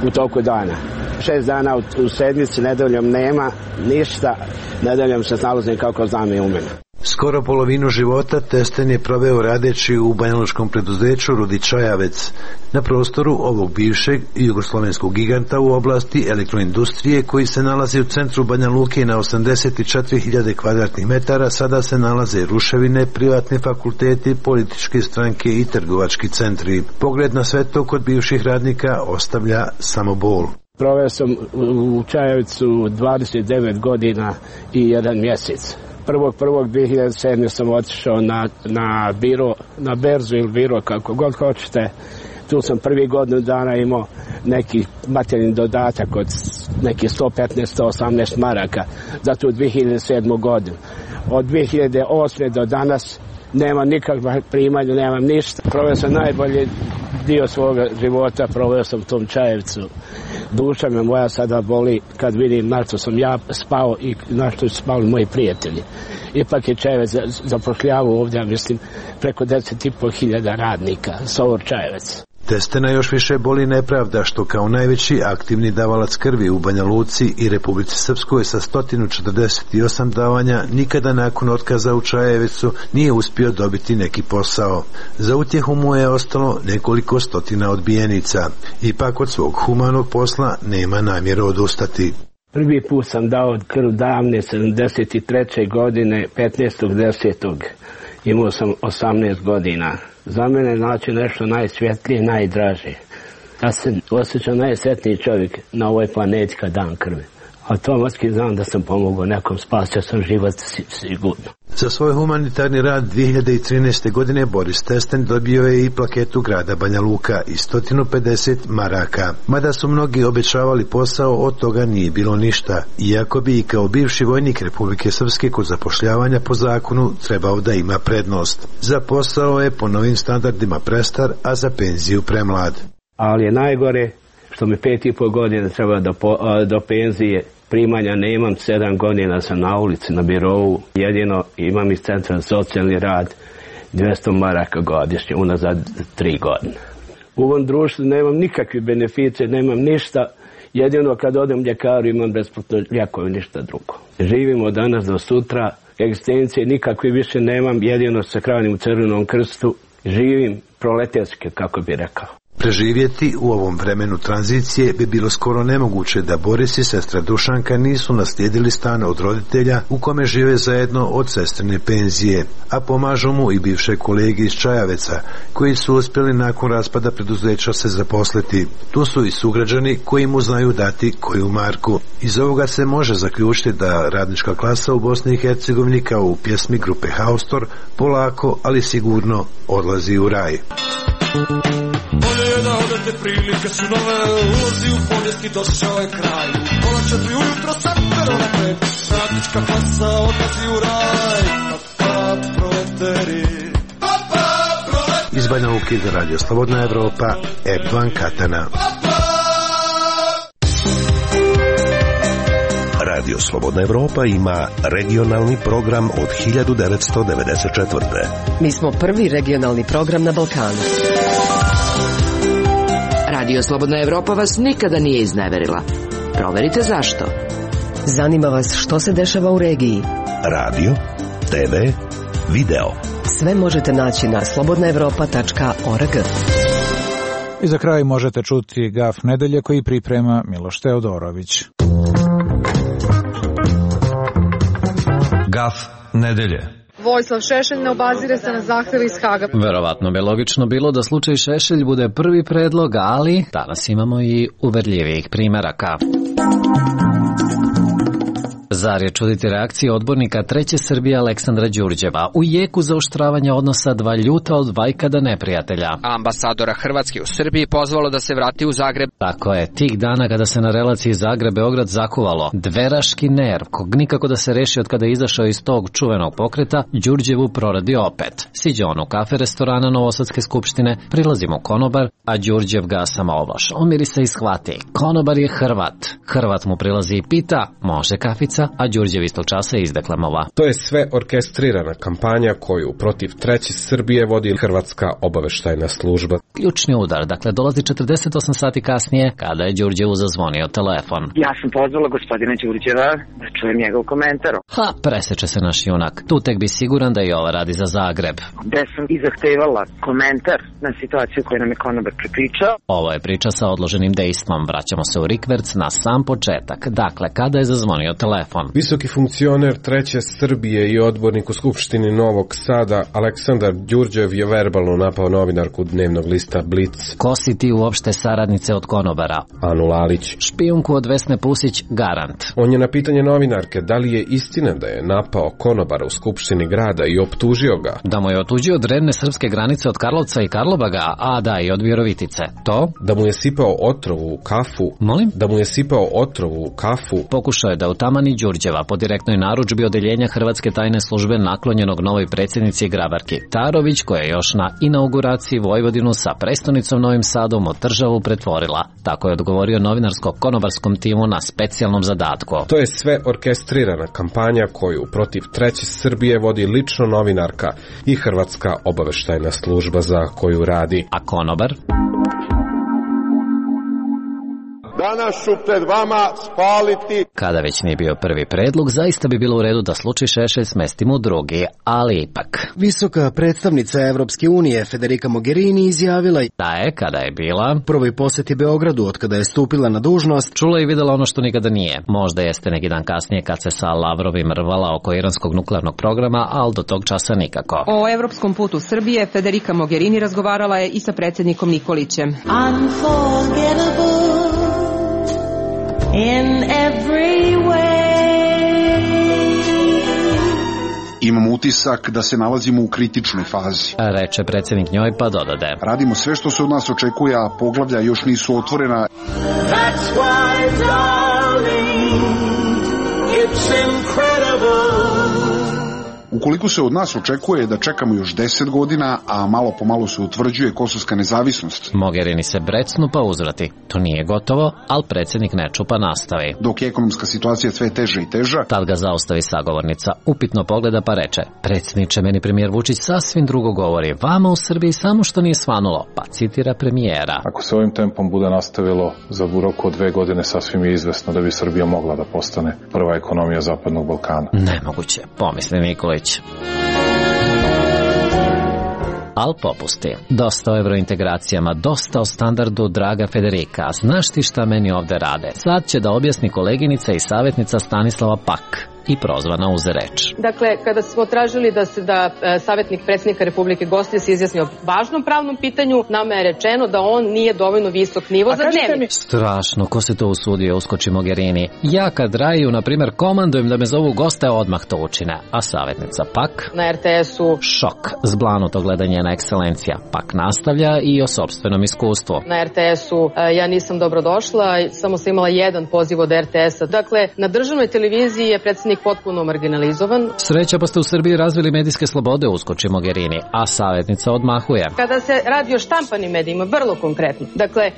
S22: u toku dana. 6 dana u sedmici, nedeljom nema ništa, nedeljom se snalazim kako znam i umem.
S23: Skoro polovinu života Testen je proveo radeći u banjalučkom preduzeću Rudi Čajavec, na prostoru ovog bivšeg jugoslovenskog giganta u oblasti elektroindustrije koji se nalazi u centru Banja Luke na 84.000 kvadratnih metara. Sada se nalaze ruševine, privatni fakulteti, političke stranke i trgovački centri. Pogled na sve to kod bivših radnika ostavlja samo bol.
S22: Proveo sam u Čajevcu 29 godina i 1 mjesec. 1.1.2007. sam otišao na biro, na berzu ili biro, kako god hoćete. Tu sam prvi godinu dana imao neki materijalni dodatak od neki 115-118 maraka za tu 2007. godinu. Od 2008. do danas nema nikakva primanja, nemam ništa. Proveo sam najbolji dio svoga života, proveo sam u tom Čajevcu. Duša me moja sada boli kad vidim na što sam ja spao i na što su spali moji prijatelji. Ipak je Čajevec zapošljavao ovdje, mislim, preko 10.500 radnika, Sovor Čajevec.
S23: Testena još više boli nepravda što kao najveći aktivni davalac krvi u Banja Luci i Republici Srpskoj sa 148 davanja nikada nakon otkaza u Čajevecu nije uspio dobiti neki posao. Za utjehu mu je ostalo nekoliko stotina odbijenica. Ipak od svog humanog posla nema namjeru odustati.
S22: Prvi put sam dao krv davne 73. godine 15.10. Imao sam 18 godina. Za mene znači nešto najsvjetlije, najdraže. Ja se osjećam najsretniji čovjek na ovoj planeti kad dam krvi. Automatski znam da sam pomogao nekom, spasio sam život sigurno.
S23: Za svoj humanitarni rad 2013. godine Boris Testen dobio je i plaketu grada Banja Luka i 150 maraka. Mada su mnogi obećavali posao, od toga nije bilo ništa, iako bi i kao bivši vojnik Republike Srpske kod zapošljavanja po zakonu trebao da ima prednost. Za posao je po novim standardima prestar, a za penziju premlad.
S22: Ali je najgore što mi 5,5 godina treba do penzije. Primanja nemam, 7 godina sam na ulici, na birovu. Jedino imam iz centra za socijalni rad 200 maraka godišnje, unazad 3 godine. U ovom društvu nemam nikakve beneficije, nemam ništa. Jedino kad odem ljekaru imam besplatno lijekove, ništa drugo. Živim od danas do sutra, egzistencije nikakve više nemam, jedino se hranim u Crvenom krstu. Živim proletarski, kako bi rekao.
S23: Preživjeti u ovom vremenu tranzicije bi bilo skoro nemoguće da Boris i sestra Dušanka nisu naslijedili stan od roditelja u kome žive zajedno od sestrine penzije, a pomažu mu i bivše kolege iz Čajaveca koji su uspjeli nakon raspada preduzeća se zaposliti. Tu su i sugrađani koji mu znaju dati koju marku. Iz ovoga se može zaključiti da radnička klasa u Bosni i Hercegovini kao u pjesmi grupe Haustor polako, ali sigurno odlazi u raj.
S3: Bolje je da odete, prilike su nove, ulazi u povijest i došao je kraj. Pola 4 ujutro sapero na krep, radnička klasa odlazi u raj. Pa proleteri, pa proleteri.
S23: Iz Banja Luke za Radio Slobodna Evropa, Erdovan Katana.
S9: Radio Slobodna Evropa ima regionalni program od 1994.
S10: Mi smo prvi regionalni program na Balkanu.
S15: Radio Slobodna Evropa vas nikada nije izneverila. Proverite zašto.
S10: Zanima vas što se dešava u regiji.
S9: Radio, TV, video.
S10: Sve možete naći na slobodnaevropa.org.
S1: I za kraj možete čuti Gaf nedelje koji priprema Miloš Teodorović.
S17: Gaf nedelje.
S18: Vojislav Šešelj ne obazire se na zahtjeve iz Haga.
S19: Verovatno bi logično bilo da slučaj Šešelj bude prvi predlog, ali danas imamo i uverljivijih primeraka. Zar je čuditi reakcije odbornika Treće Srbije Aleksandra Đurđeva u jeku zaoštravanja odnosa dva ljuta od vajkada neprijatelja.
S26: Ambasadora Hrvatske u Srbiji pozvalo da se vrati u Zagreb.
S19: Tako je, tih dana kada se na relaciji Zagreb-Beograd zakuvalo dveraški nerv, kog nikako da se reši od kada je izašao iz tog čuvenog pokreta, Đurđevu proradi opet. Siđe on u kafe restorana Novosadske skupštine, prilazi mu konobar, a Đurđev ga samoovlaš. Omiri se i shvati. Konobar je Hrvat. Hrvat mu prilazi i pita, može kafica? A Đurđev istog časa izdeklamova.
S13: To je sve orkestrirana kampanja koju protiv Treće Srbije vodi Hrvatska obaveštajna služba.
S19: Ključni udar, dakle, dolazi 48 sati kasnije kada je Đurđevu zazvonio telefon.
S27: Ja sam pozvala gospodina Đurđeva da čujem njegov komentar.
S19: Preseče se naš junak. Tu tek bi siguran da i ova radi za Zagreb.
S27: Gde sam i zahtevala komentar na situaciju koju nam je konobar prepričao.
S19: Ovo je priča sa odloženim dejstvom. Vraćamo se u rikverc na sam početak. Dakle, kada je zazvonio telefon.
S13: Visoki funkcioner Treće Srbije i odbornik u Skupštini Novog Sada Aleksandar Đurđev je verbalno napao novinarku dnevnog lista Blic.
S19: Ko si ti uopšte saradnice od konobara?
S13: Anu Lalić.
S19: Špijunku od Vesne Pusić, garant.
S13: On je na pitanje novinarke da li je istina da je napao konobara u Skupštini grada i optužio ga.
S19: Da mu je otuđio od revne srpske granice od Karlovca i Karlobaga, a da i od Virovitice. To?
S13: Da mu je sipao otrovu u kafu.
S19: Molim?
S13: Da mu je sipao otrovu u kafu.
S19: Pokušao je da utamani Đurđeva po direktnoj narudžbi odeljenja Hrvatske tajne službe naklonjenog novoj predsjednici Grabarki Tarović, koja je još na inauguraciji Vojvodinu sa prestonicom Novim Sadom od državu pretvorila. Tako je odgovorio novinarsko-konobarskom timu na specijalnom zadatku.
S13: To je sve orkestrirana kampanja koju protiv Treće Srbije vodi lično novinarka i Hrvatska obaveštajna služba za koju radi.
S19: A konobar?
S28: Danas ću pred vama spaliti.
S19: Kada već nije bio prvi predlog, zaista bi bilo u redu da slučaj Šešelj smestimo u drugi, ali ipak.
S29: Visoka predstavnica Evropske unije Federica Mogherini izjavila
S19: da je, kada je bila
S29: prvoj posjeti Beogradu od kada je stupila na dužnost,
S19: čula i videla ono što nikada nije. Možda jeste neki dan kasnije kad se sa Lavrovim rvala oko iranskog nuklearnog programa, ali do tog časa nikako.
S30: O evropskom putu Srbije Federica Mogherini razgovarala je i sa predsjednikom Nikolićem.
S31: In every way.
S2: Imam utisak da se nalazimo u kritičnoj fazi.
S19: Reče predsjednik njoj pa dodade.
S2: Radimo sve što se od nas očekuje, a poglavlja još nisu otvorena.
S3: That's why, darling, it's incredible.
S2: Ukoliko se od nas očekuje da čekamo još 10 godina, a malo po malo se utvrđuje kosovska nezavisnost.
S19: Mogherini se brecnu pa uzvrati. To nije gotovo, ali predsjednik ne čupa nastavi.
S2: Dok je ekonomska situacija sve teža i teža.
S19: Tad ga zaustavi sagovornica. Upitno pogleda pa reče. Predsjedniče, meni premijer Vučić sasvim drugo govori. Vama u Srbiji samo što nije svanulo. Pa citira premijera.
S12: Ako se ovim tempom bude nastavilo, za roku od 2 godine sasvim je izvesno da bi Srbija mogla da postane prva ekonomija Zapadnog Balkana.
S19: Nemoguće, pomisli Nikolić. Al popusti. Dosta o evrointegracijama, dosta o standardu, draga Federika. Znaš ti šta meni ovde rade? Sad će da objasni koleginica i savjetnica Stanislava Pak. I prozvana uze reč.
S30: Dakle, kada smo tražili da savjetnik predsjednika Republike gostuje se izjasni o važnom pravnom pitanju, nama je rečeno da on nije dovoljno visok nivo za dnevnik.
S19: Strašno, ko se to usudio, uskoči Mogherini. Ja kad Raju, na primjer, komandujem da me zovu goste, odmah to učine. A savjetnica Pak?
S30: Na RTS-u.
S19: Šok, zblanuto gleda njena ekscelencija. Pak nastavlja i o sopstvenom iskustvu.
S30: Na RTS-u ja nisam dobrodošla, samo sam imala jedan poziv od RTS-a. Dakle, na državnoj televiziji je predsjednik potpuno marginalizovan.
S19: Sreća pa ste u Srbiji razvili medijske slobode, uskoči Mogherini, a savjetnica odmahuje.
S30: Kada se radi o štampanim medijima, vrlo konkretno. Dakle,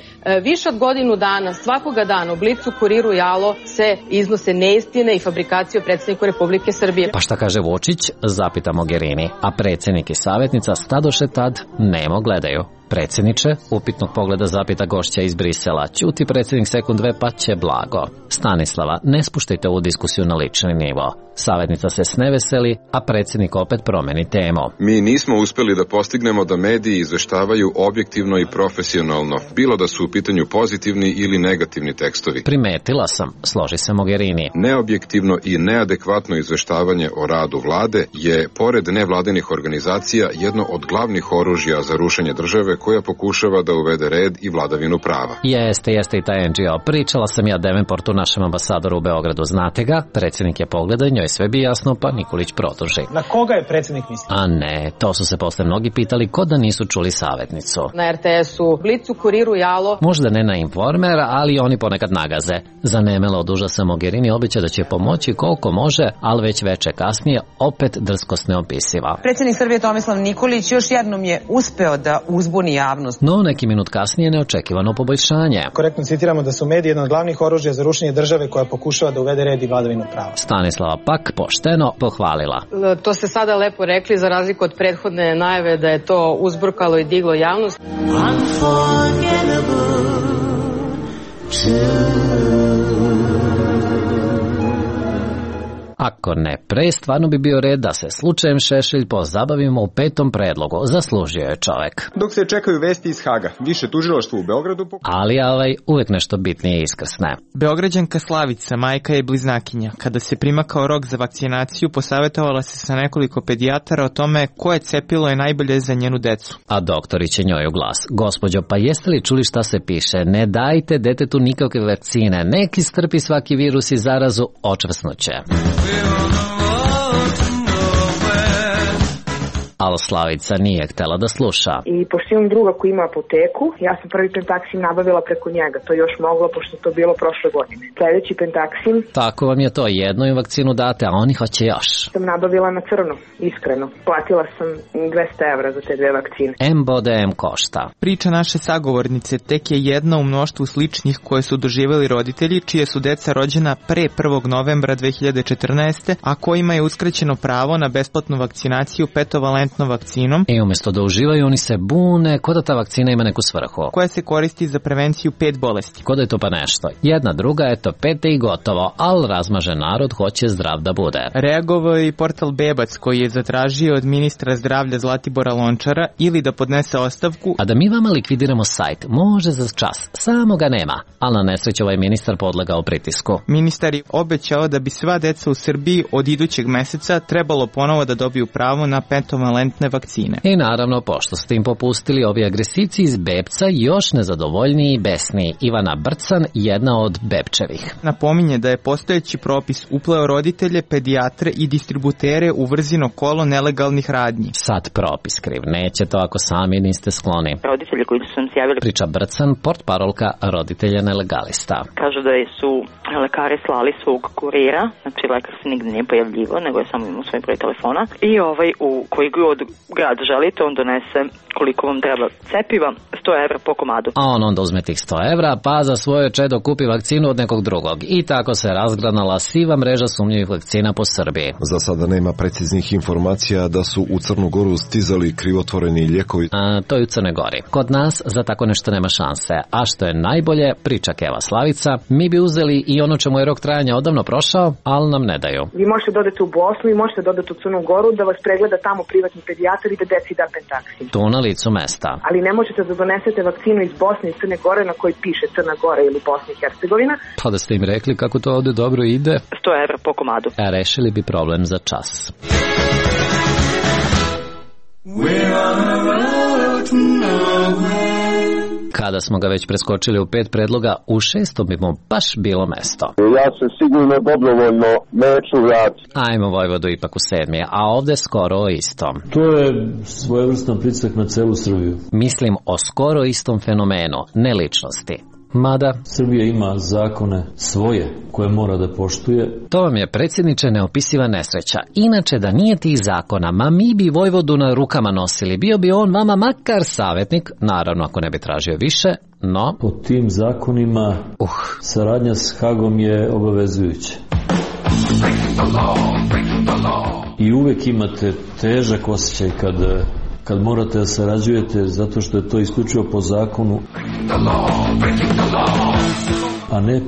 S30: više od godinu dana, svakoga dana u Blicu, Kuriru i Alo se iznose neistine i fabrikacije o predsjedniku Republike Srbije.
S19: Pa šta kaže Vučić? Zapita Mogherini, a predsjednik i savjetnica stadoše tad nemo gledaju. Predsjedniče, upitnog pogleda zapita gošća iz Brisela. Ćuti predsjednik sekund dve pa će blago. Stanislava, ne spuštajte ovu diskusiju na lični nivo. Savjetnica se sneveseli, a predsjednik opet promeni temu.
S6: Mi nismo uspjeli da postignemo da mediji izveštavaju objektivno i profesionalno, bilo da su u pitanju pozitivni ili negativni tekstovi.
S19: Primetila sam, složi se Mogherini.
S6: Neobjektivno i neadekvatno izveštavanje o radu vlade je, pored nevladinih organizacija, jedno od glavnih oružja za rušenje države koja pokušava da uvede red i vladavinu prava.
S19: Jeste i taj NGO. Pričala sam ja Davenportu, našem ambasadoru u Beogradu. Znate ga? Predsjednik je pogledao, njoj sve bi jasno, pa Nikolić produži.
S7: Na koga je predsjednik mislio?
S19: A ne, to su se posle mnogi pitali, ko da nisu čuli savjetnicu.
S30: Na RTS-u, Blicu, Kuriru i Alo.
S19: Možda ne na Informer, ali oni ponekad nagaze. Zanemela od užasa Mogherini obeća da će pomoći koliko može, ali već veče kasnije opet drskost neopisiva.
S30: Predsjednik Srbije Tomislav Nikolić još jednom je uspeo da uzbuni javnost.
S19: No, neki minut kasnije neočekivano poboljšanje.
S7: Korektno citiramo da su mediji jedan od glavnih oružja za rušenje države koja pokušava da uvede red i vladavinu prava.
S19: Stanislava Pak pošteno pohvalila.
S30: To ste sada lepo rekli, za razliku od prethodne najave da je to uzburkalo i diglo javnost.
S19: Ako ne pre, stvarno bi bio red da se slučajem Šešelj pozabavimo u 5. predlogu. Zaslužio je čovek.
S8: Dok se čekaju vesti iz Haga, više tužilaštvo u Beogradu...
S19: Ali uvek nešto bitnije iskrsne.
S16: Beograđanka Slavica, majka je bliznakinja. Kada se primakao rok za vakcinaciju, posavetovala se sa nekoliko pedijatara o tome koje cepilo je najbolje za njenu decu.
S19: A doktorić je njoj u glas. Gospođo, pa jeste li čuli šta se piše? Ne dajte detetu nikakve vakcine. Neki strpi svaki virus i zarazu, očvrsnuće. Ali Slavica nije htjela da sluša.
S27: I pošto imam druga koji ima apoteku, ja sam prvi pentaksim nabavila preko njega. To je još moglo, pošto to bilo prošle godine. Sljedeći pentaksim...
S19: Tako vam je to, jednu im vakcinu date, a oni hoće još.
S27: Sam nabavila na crno, iskreno. Platila sam 200 evra za te 2 vakcine.
S19: M bode M košta.
S16: Priča naše sagovornice tek je jedna u mnoštvu sličnih koje su doživjeli roditelji, čije su deca rođena pre 1. novembra 2014. a kojima je uskraćeno pravo na besplatnu vakcinaciju petovalentnom vakcinom.
S19: I umjesto da uživaju, oni se bune ko da ta vakcina ima neku svrhu.
S16: Koja se koristi za prevenciju 5 bolesti.
S19: Ko da je to pa nešto. Jedna, druga, eto 5 i gotovo, ali razmažen narod hoće zdrav da bude.
S16: Reagovao je i portal Bebac koji je zatražio od ministra zdravlja Zlatibora Lončara ili da podnese ostavku.
S19: A da mi vama likvidiramo sajt, može za čas, samo ga nema. Ali na nesreću ovaj ministar podlegao pritisku.
S16: Ministar je obećao da bi sva deca u Srbiji od idućeg meseca trebalo ponovo da dobiju pravo na petovalentnu monovalentne vakcine.
S19: I naravno, pošto ste im popustili, ovi agresivci iz Bebca još nezadovoljniji i besniji. Ivana Brcan, jedna od Bebčevih.
S16: Napominje da je postojeći propis upleo roditelje, pedijatre i distributere u vrzino kolo nelegalnih radnji.
S19: Sad propis kriv, neće to ako sami niste skloni.
S4: Roditelji koji su nam se javili,
S19: priča Brcan, portparolka roditelja nelegalista.
S4: Kažu da su lekari slali svog kurira, znači lekar se nigde nije pojavljivo, nego je samo imao svoj broj telefona i u koji god grad želite, on donese koliko vam treba cepiva, 100 evra po komadu.
S19: A on onda uzme tih 100 evra, pa za svoje čedo kupi vakcinu od nekog drugog. I tako se razgranala siva mreža sumnjivih vakcina po Srbiji.
S5: Za sada nema preciznih informacija da su u Crnu Goru stizali krivotvoreni lijekovi.
S19: To je u Crnoj Gori. Kod nas za tako nešto nema šanse. A što je najbolje, priča Keva Slavica, mi bi uzeli i ono čemu je rok trajanja odavno prošao, ali nam ne daju.
S27: Vi možete dodati u Bosnu i možete dodati u Crnu Goru da vas pregleda tamo privatni pedijatar i da deci da pentaksin.
S19: Tu na licu mesta.
S27: Ali ne možete da donesete vakcinu iz Bosne i Crne Gore na kojoj piše Crna Gora ili Bosna i Hercegovina.
S19: Pa da ste im rekli kako to ovde dobro ide.
S4: 100 evra po komadu.
S19: A rešili bi problem za čas. Kada smo ga već preskočili u 5 predloga, u 6. bi mu baš bilo mesto.
S28: Ja se sigurno dobrovoljno neću vratiti.
S19: Ajmo Vojvodu ipak u 7. a ovde skoro o istom.
S11: To je svojevrstan pritisak na celu Srbiju.
S19: Mislim o skoro istom fenomenu, ne ličnosti. Mada
S11: Srbija ima zakone svoje koje mora da poštuje.
S19: To vam je, predsjedniče, neopisiva nesreća. Inače, da nije tih zakona, ma mi bi Vojvodu na rukama nosili. Bio bi on vama makar savjetnik, naravno ako ne bi tražio više, no...
S11: Po tim zakonima saradnja s Hagom je obavezujuća. I uvek imate težak osjećaj kad morate da sarađujete zato što je to isključivo po zakonu, a ne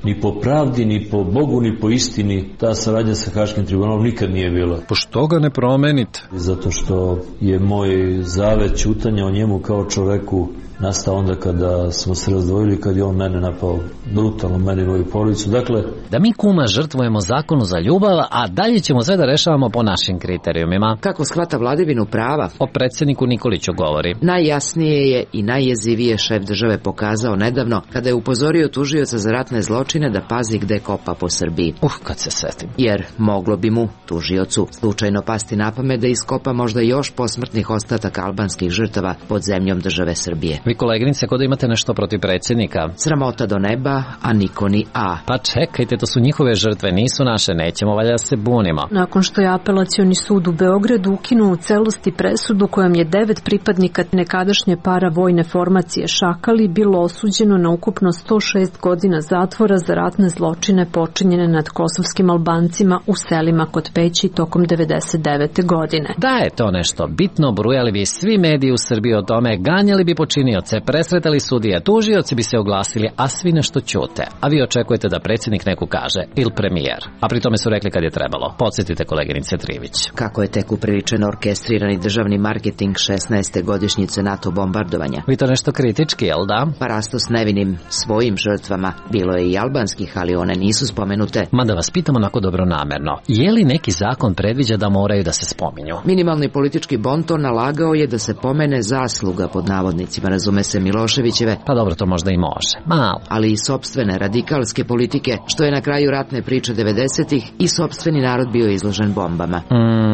S11: ni po pravdi, ni po Bogu, ni po istini. Ta saradnja sa Haškim tribunalom nikad nije bila.
S19: Pošto ga ne promenite?
S11: Zato što je moj zavet ćutanja o njemu kao čoveku nastao onda kada smo se razdvojili, kad je on mene napao brutalno, mene i moju porodicu. Dakle,
S19: da mi kuma žrtvujemo zakonu za ljubav, a dalje ćemo sve da rešavamo po našim kriterijumima.
S15: Kako shvata vladavinu prava?
S19: O predsjedniku Nikoliću govori.
S15: Najjasnije je i najjezivije šef države pokazao nedavno kada je upozorio tužioca za ratne zločine da pazi gde kopa po Srbiji.
S19: Kad se setim.
S15: Jer moglo bi mu, tužiocu, slučajno pasti na pamet da iskopa možda još posmrtnih ostataka albanskih žrtava pod zemljom države Srbije.
S19: Vi, koleginice, kod imate nešto protiv predsjednika?
S15: Sramota do neba, a niko ni a.
S19: Pa čekajte, to su njihove žrtve, nisu naše, nećemo valjda se bunimo.
S14: Nakon što je Apelacioni sud u Beogradu ukinuo u celosti presudu kojom je 9 pripadnika nekadašnje paravojne formacije Šakali bilo osuđeno na ukupno 106 godina zatvora za ratne zločine počinjene nad kosovskim Albancima u selima kod Peći tokom 99. godine.
S19: Da je to nešto bitno, brujali bi svi mediji u Srbiji o tome, ganjali bi počinioce, presretali sudije, tužioci bi se oglasili, a svi nešto ćute. A vi očekujete da predsjednik neku kaže, ili premijer. A pri tome su rekli kad je trebalo. Podsjetite koleginice Trivić.
S15: Kako je tek upriličen orkestrirani državni marketing 16. godišnjice NATO bombardovanja.
S19: Vi to nešto kritički, jel da?
S15: Pa rasto s nevinim svojim žrtvama. Bilo je i albanskih, ali one nisu spomenute.
S19: Ma da vas pitam onako dobronamerno. Je li neki zakon predviđa da moraju da se spominju?
S15: Minimalni politički bonton nalagao je da se pomene zasluga pod navodnicima, razume se, Miloševićeve.
S19: Pa dobro, to možda i može. Malo.
S15: Ali i sopstvene radikalske politike, što je na kraju ratne priče 90-ih i sopstveni narod bio izložen bombama.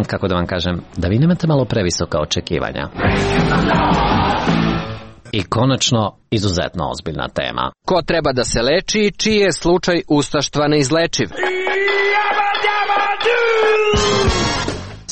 S19: Kako da vam kažem, da vi nemate malo previsoka očekivanja. I konačno, izuzetno ozbiljna tema.
S26: Ko treba da se leči, čiji je slučaj ustaštva neizlečiv?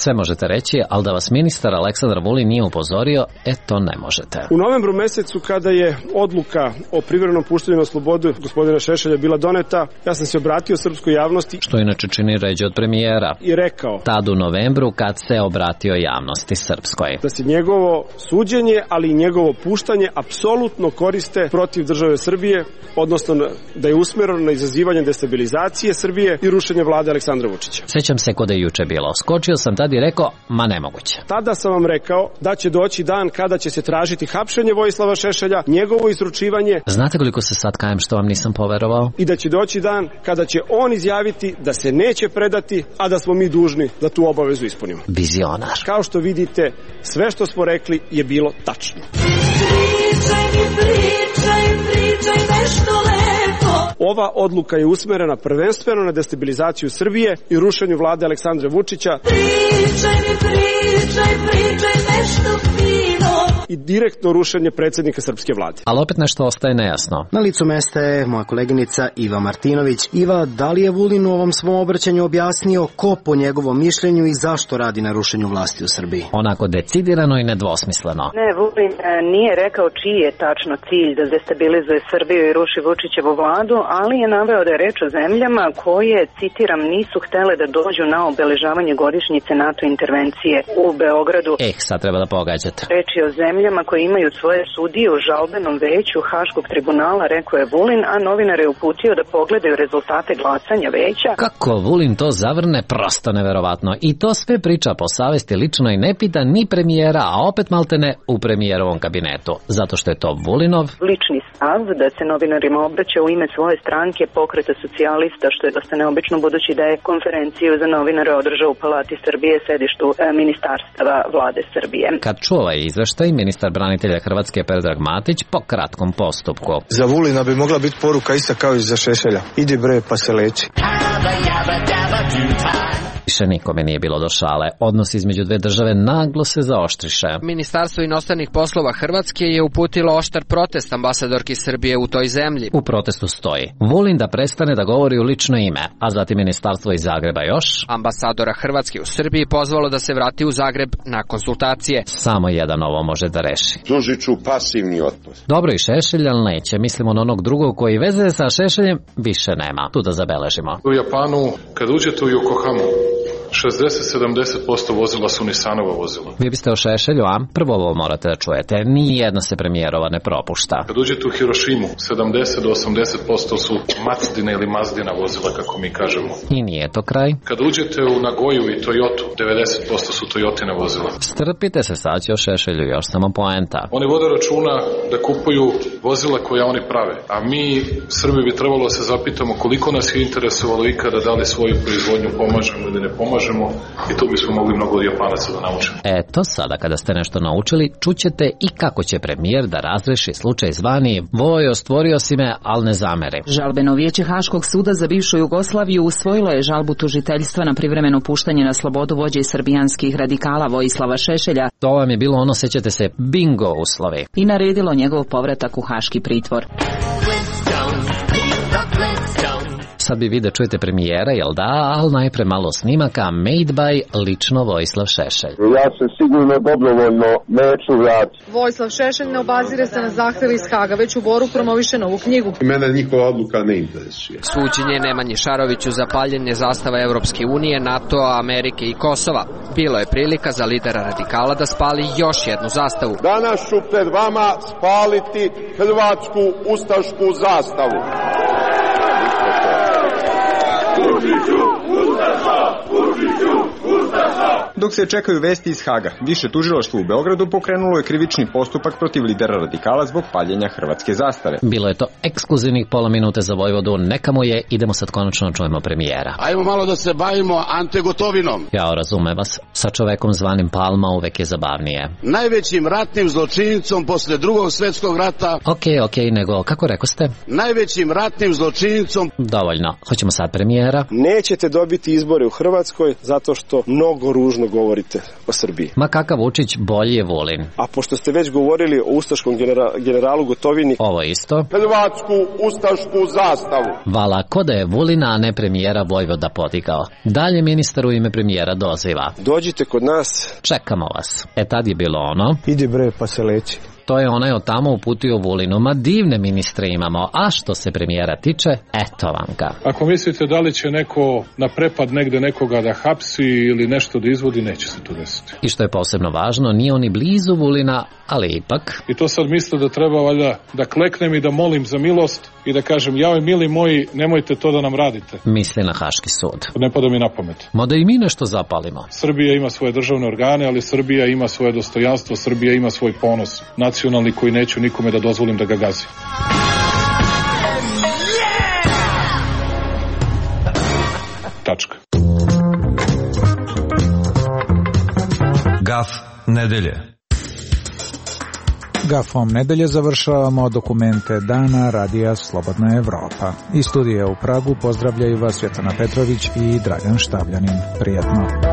S19: Sve možete reći, ali da vas ministar Aleksandar Vulin nije upozorio, to ne možete.
S17: U novembru mesecu, kada je odluka o privremenom puštanju na slobodu gospodina Šešelja bila doneta, ja sam se obratio srpskoj javnosti,
S19: što inače čini ređe od premijera,
S17: i rekao
S19: tad u novembru kad se obratio javnosti srpskoj,
S17: da se njegovo suđenje, ali i njegovo puštanje apsolutno koriste protiv države Srbije, odnosno da je usmereno na izazivanje destabilizacije Srbije i rušenje vlade Aleksandra Vučića.
S19: Sećam se kod je juče bilo. Skočio sam tad tad i rekao, ma nemoguće.
S17: Tada sam vam rekao da će doći dan kada će se tražiti hapšenje Vojislava Šešelja, njegovo izručivanje.
S19: Znate koliko se sad kajem što vam nisam poverovao?
S17: I da će doći dan kada će on izjaviti da se neće predati, a da smo mi dužni da tu obavezu ispunimo.
S19: Vizionar.
S17: Kao što vidite, sve što smo rekli je bilo tačno.
S3: Pričaj nešto lepo.
S17: Ova odluka je usmerena prvenstveno na destabilizaciju Srbije i rušenju vlade Aleksandra Vučića.
S3: Pričaj nešto fino.
S17: I direktno rušenje predsjednika srpske vlade.
S19: Ali opet nešto ostaje nejasno.
S29: Na licu mesta je moja koleginica Iva Martinović. Iva, da li je Vulin u ovom svom obraćanju objasnio ko po njegovom mišljenju i zašto radi na rušenju vlasti u Srbiji?
S19: Onako decidirano i nedvosmisleno.
S4: Ne, Vulin nije rekao čiji je tačno cilj da destabilizuje Srbiju i ruši Vučićevu vladu, ali je naveo da je reč o zemljama koje, citiram, nisu htele da dođu na obeležavanje godišnjice NATO intervencije u Beogradu.
S19: Sad treba da pogađate.
S4: Reč je o zemljama koje imaju svoje sudije u žalbenom veću Haškog tribunala, rekao je Vulin, a novinar je uputio da pogledaju rezultate glasanja veća.
S19: Kako Vulin to zavrne, prosto neverovatno. I to sve priča po savesti lično i ne pita ni premijera, a opet maltene u premijerovom kabinetu. Zato što je to Vulinov
S4: lični stav da se novinarima obraća u ime svoje stranke Pokreta socijalista, što je dosta neobično budući da je konferenciju za novinare održao u Palati Srbije, sedištu ministarstava vlade Srbije.
S19: Kad čuva izveštaj, ministar branitelja Hrvatske Predrag Matić po kratkom postupku.
S1: Za Vulina bi mogla biti poruka ista kao i za Šešelja. Idi bre pa se leči.
S19: Više nikome nije bilo do šale. Odnos između dve države naglo se zaoštriše.
S26: Ministarstvo inostranih poslova Hrvatske je uputilo oštar protest ambasadorki Srbije u toj zemlji.
S19: U protestu stoji Vulin da prestane da govori u lično ime, a zatim ministarstvo iz Zagreba još
S26: ambasadora Hrvatske u Srbiji pozvalo da se vrati u Zagreb na konsultacije.
S19: Samo jedan ovo može da reši.
S28: Pružit ću pasivni otpor.
S19: Dobro i Šešelj, ali neće. Mislimo na onog drugog koji veze sa Šešeljem više nema. Tu da zabeležimo.
S12: U Japanu, kad uđete u Yokohamu, 60-70% vozila su Nissanova vozila.
S19: Vi biste o Šešelju, a? Prvo ovo morate da čujete. Nijedna se premijerova ne propušta.
S12: Kad uđete u Hirošimu, 70-80% su Mazdina ili Mazdina vozila, kako mi kažemo.
S19: I nije to kraj.
S12: Kad uđete u Nagoju i Toyotu, 90% su Toyotine vozila.
S19: Strpite se, sad će o Šešelju još samo poenta.
S12: Oni vode računa da kupuju vozila koja oni prave. A mi, Srbi, bi trebalo da se zapitamo koliko nas je interesovalo ikada da li svoju proizvodnju pomažemo ili ne pomažemo. I to bismo mogli mnogo od Japanaca da naučimo.
S19: Eto, sada kada ste nešto naučili, čućete i kako će premijer da razreši slučaj zvani Vojo, stvorio si me, al ne zameri.
S9: Žalbeno vijeće Haškog suda za bivšu Jugoslaviju usvojilo je žalbu tužiteljstva na privremeno puštanje na slobodu vođe srbijanskih radikala Vojislava Šešelja.
S19: To vam je bilo ono, sećate se, bingo uslovi.
S9: I naredilo njegov povratak u haški pritvor.
S19: Sad bi vi da čujete premijera, jel da, ali najpre malo snimaka Made by lično Vojislav Šešelj.
S28: Ja se sigurno dobrovoljno neću vratiti.
S10: Vojislav Šešelj ne obazire se na zahtjev iz Haga, već u Boru promoviše novu knjigu.
S28: Mene njihova odluka ne interesuje.
S26: Suđenje Nemanji Šaroviću za paljenje zastava Evropske unije, NATO-a, Amerike i Kosova. Bilo je prilika za lidera radikala da spali još jednu zastavu.
S28: Danas ću pred vama spaliti hrvatsku ustašku zastavu.
S8: Dok se čekaju vesti iz Haga, više tužilaštvo u Beogradu pokrenulo je krivični postupak protiv lidera radikala zbog paljenja hrvatske zastave.
S19: Bilo je to ekskluzivnih pola minute za Vojvodu, neka mu je, idemo sad konačno čujemo premijera.
S28: Ajmo malo da se bavimo Ante Gotovinom.
S19: Ja razumem vas, sa čovekom zvanim Palma uvek je zabavnije.
S28: Najvećim ratnim zločinicom posle Drugog svjetskog rata.
S19: Okej, nego kako rekoste?
S28: Najvećim ratnim zločinicom.
S19: Dovoljno, hoćemo sad premijera.
S17: Nećete dobiti izbore u Hrvatskoj zato što mnogo ružno govorite o Srbiji.
S19: Ma kakav Vučić, bolji je Vulin.
S17: A pošto ste već govorili o ustaškom generalu Gotovini,
S19: ovo isto.
S28: Hrvatsku ustašku zastavu.
S19: Vala, ko da je Vulina, a ne premijera Vojvoda podigao. Dalje ministar u ime premijera doziva.
S17: Dođite kod nas.
S19: Čekamo vas. Tad je bilo ono.
S1: Idi bre pa se leči.
S19: to je onaj od tamo uputio Vulinu. Ma divne ministre imamo, a što se premijera tiče, eto vam ga.
S12: Ako mislite da li će neko na prepad negde nekoga da hapsi ili nešto da izvodi, neće se to desiti.
S19: I što je posebno važno, nije on ni blizu Vulina, ali ipak...
S12: I to sad misle da treba valjda da kleknem i da molim za milost i da kažem, jao mili moji, nemojte to da nam radite.
S19: Misli na Haški sud.
S12: Ne pada mi na pamet.
S19: Ma da i mi nešto zapalimo.
S12: Srbija ima svoje državne organe, ali Srbija ima svoje dostojanstvo, Srbija ima svoj ponos nacionalni koji neću nikome da dozvolim da ga gazi. Tačka.
S2: Gaf nedelje.
S6: Gafom nedelje završavamo dokumente dana Radija Slobodna Evropa. Iz studija u Pragu pozdravljaju vas Svetlana Petrović i Dragan Štavljanin. Prijetno.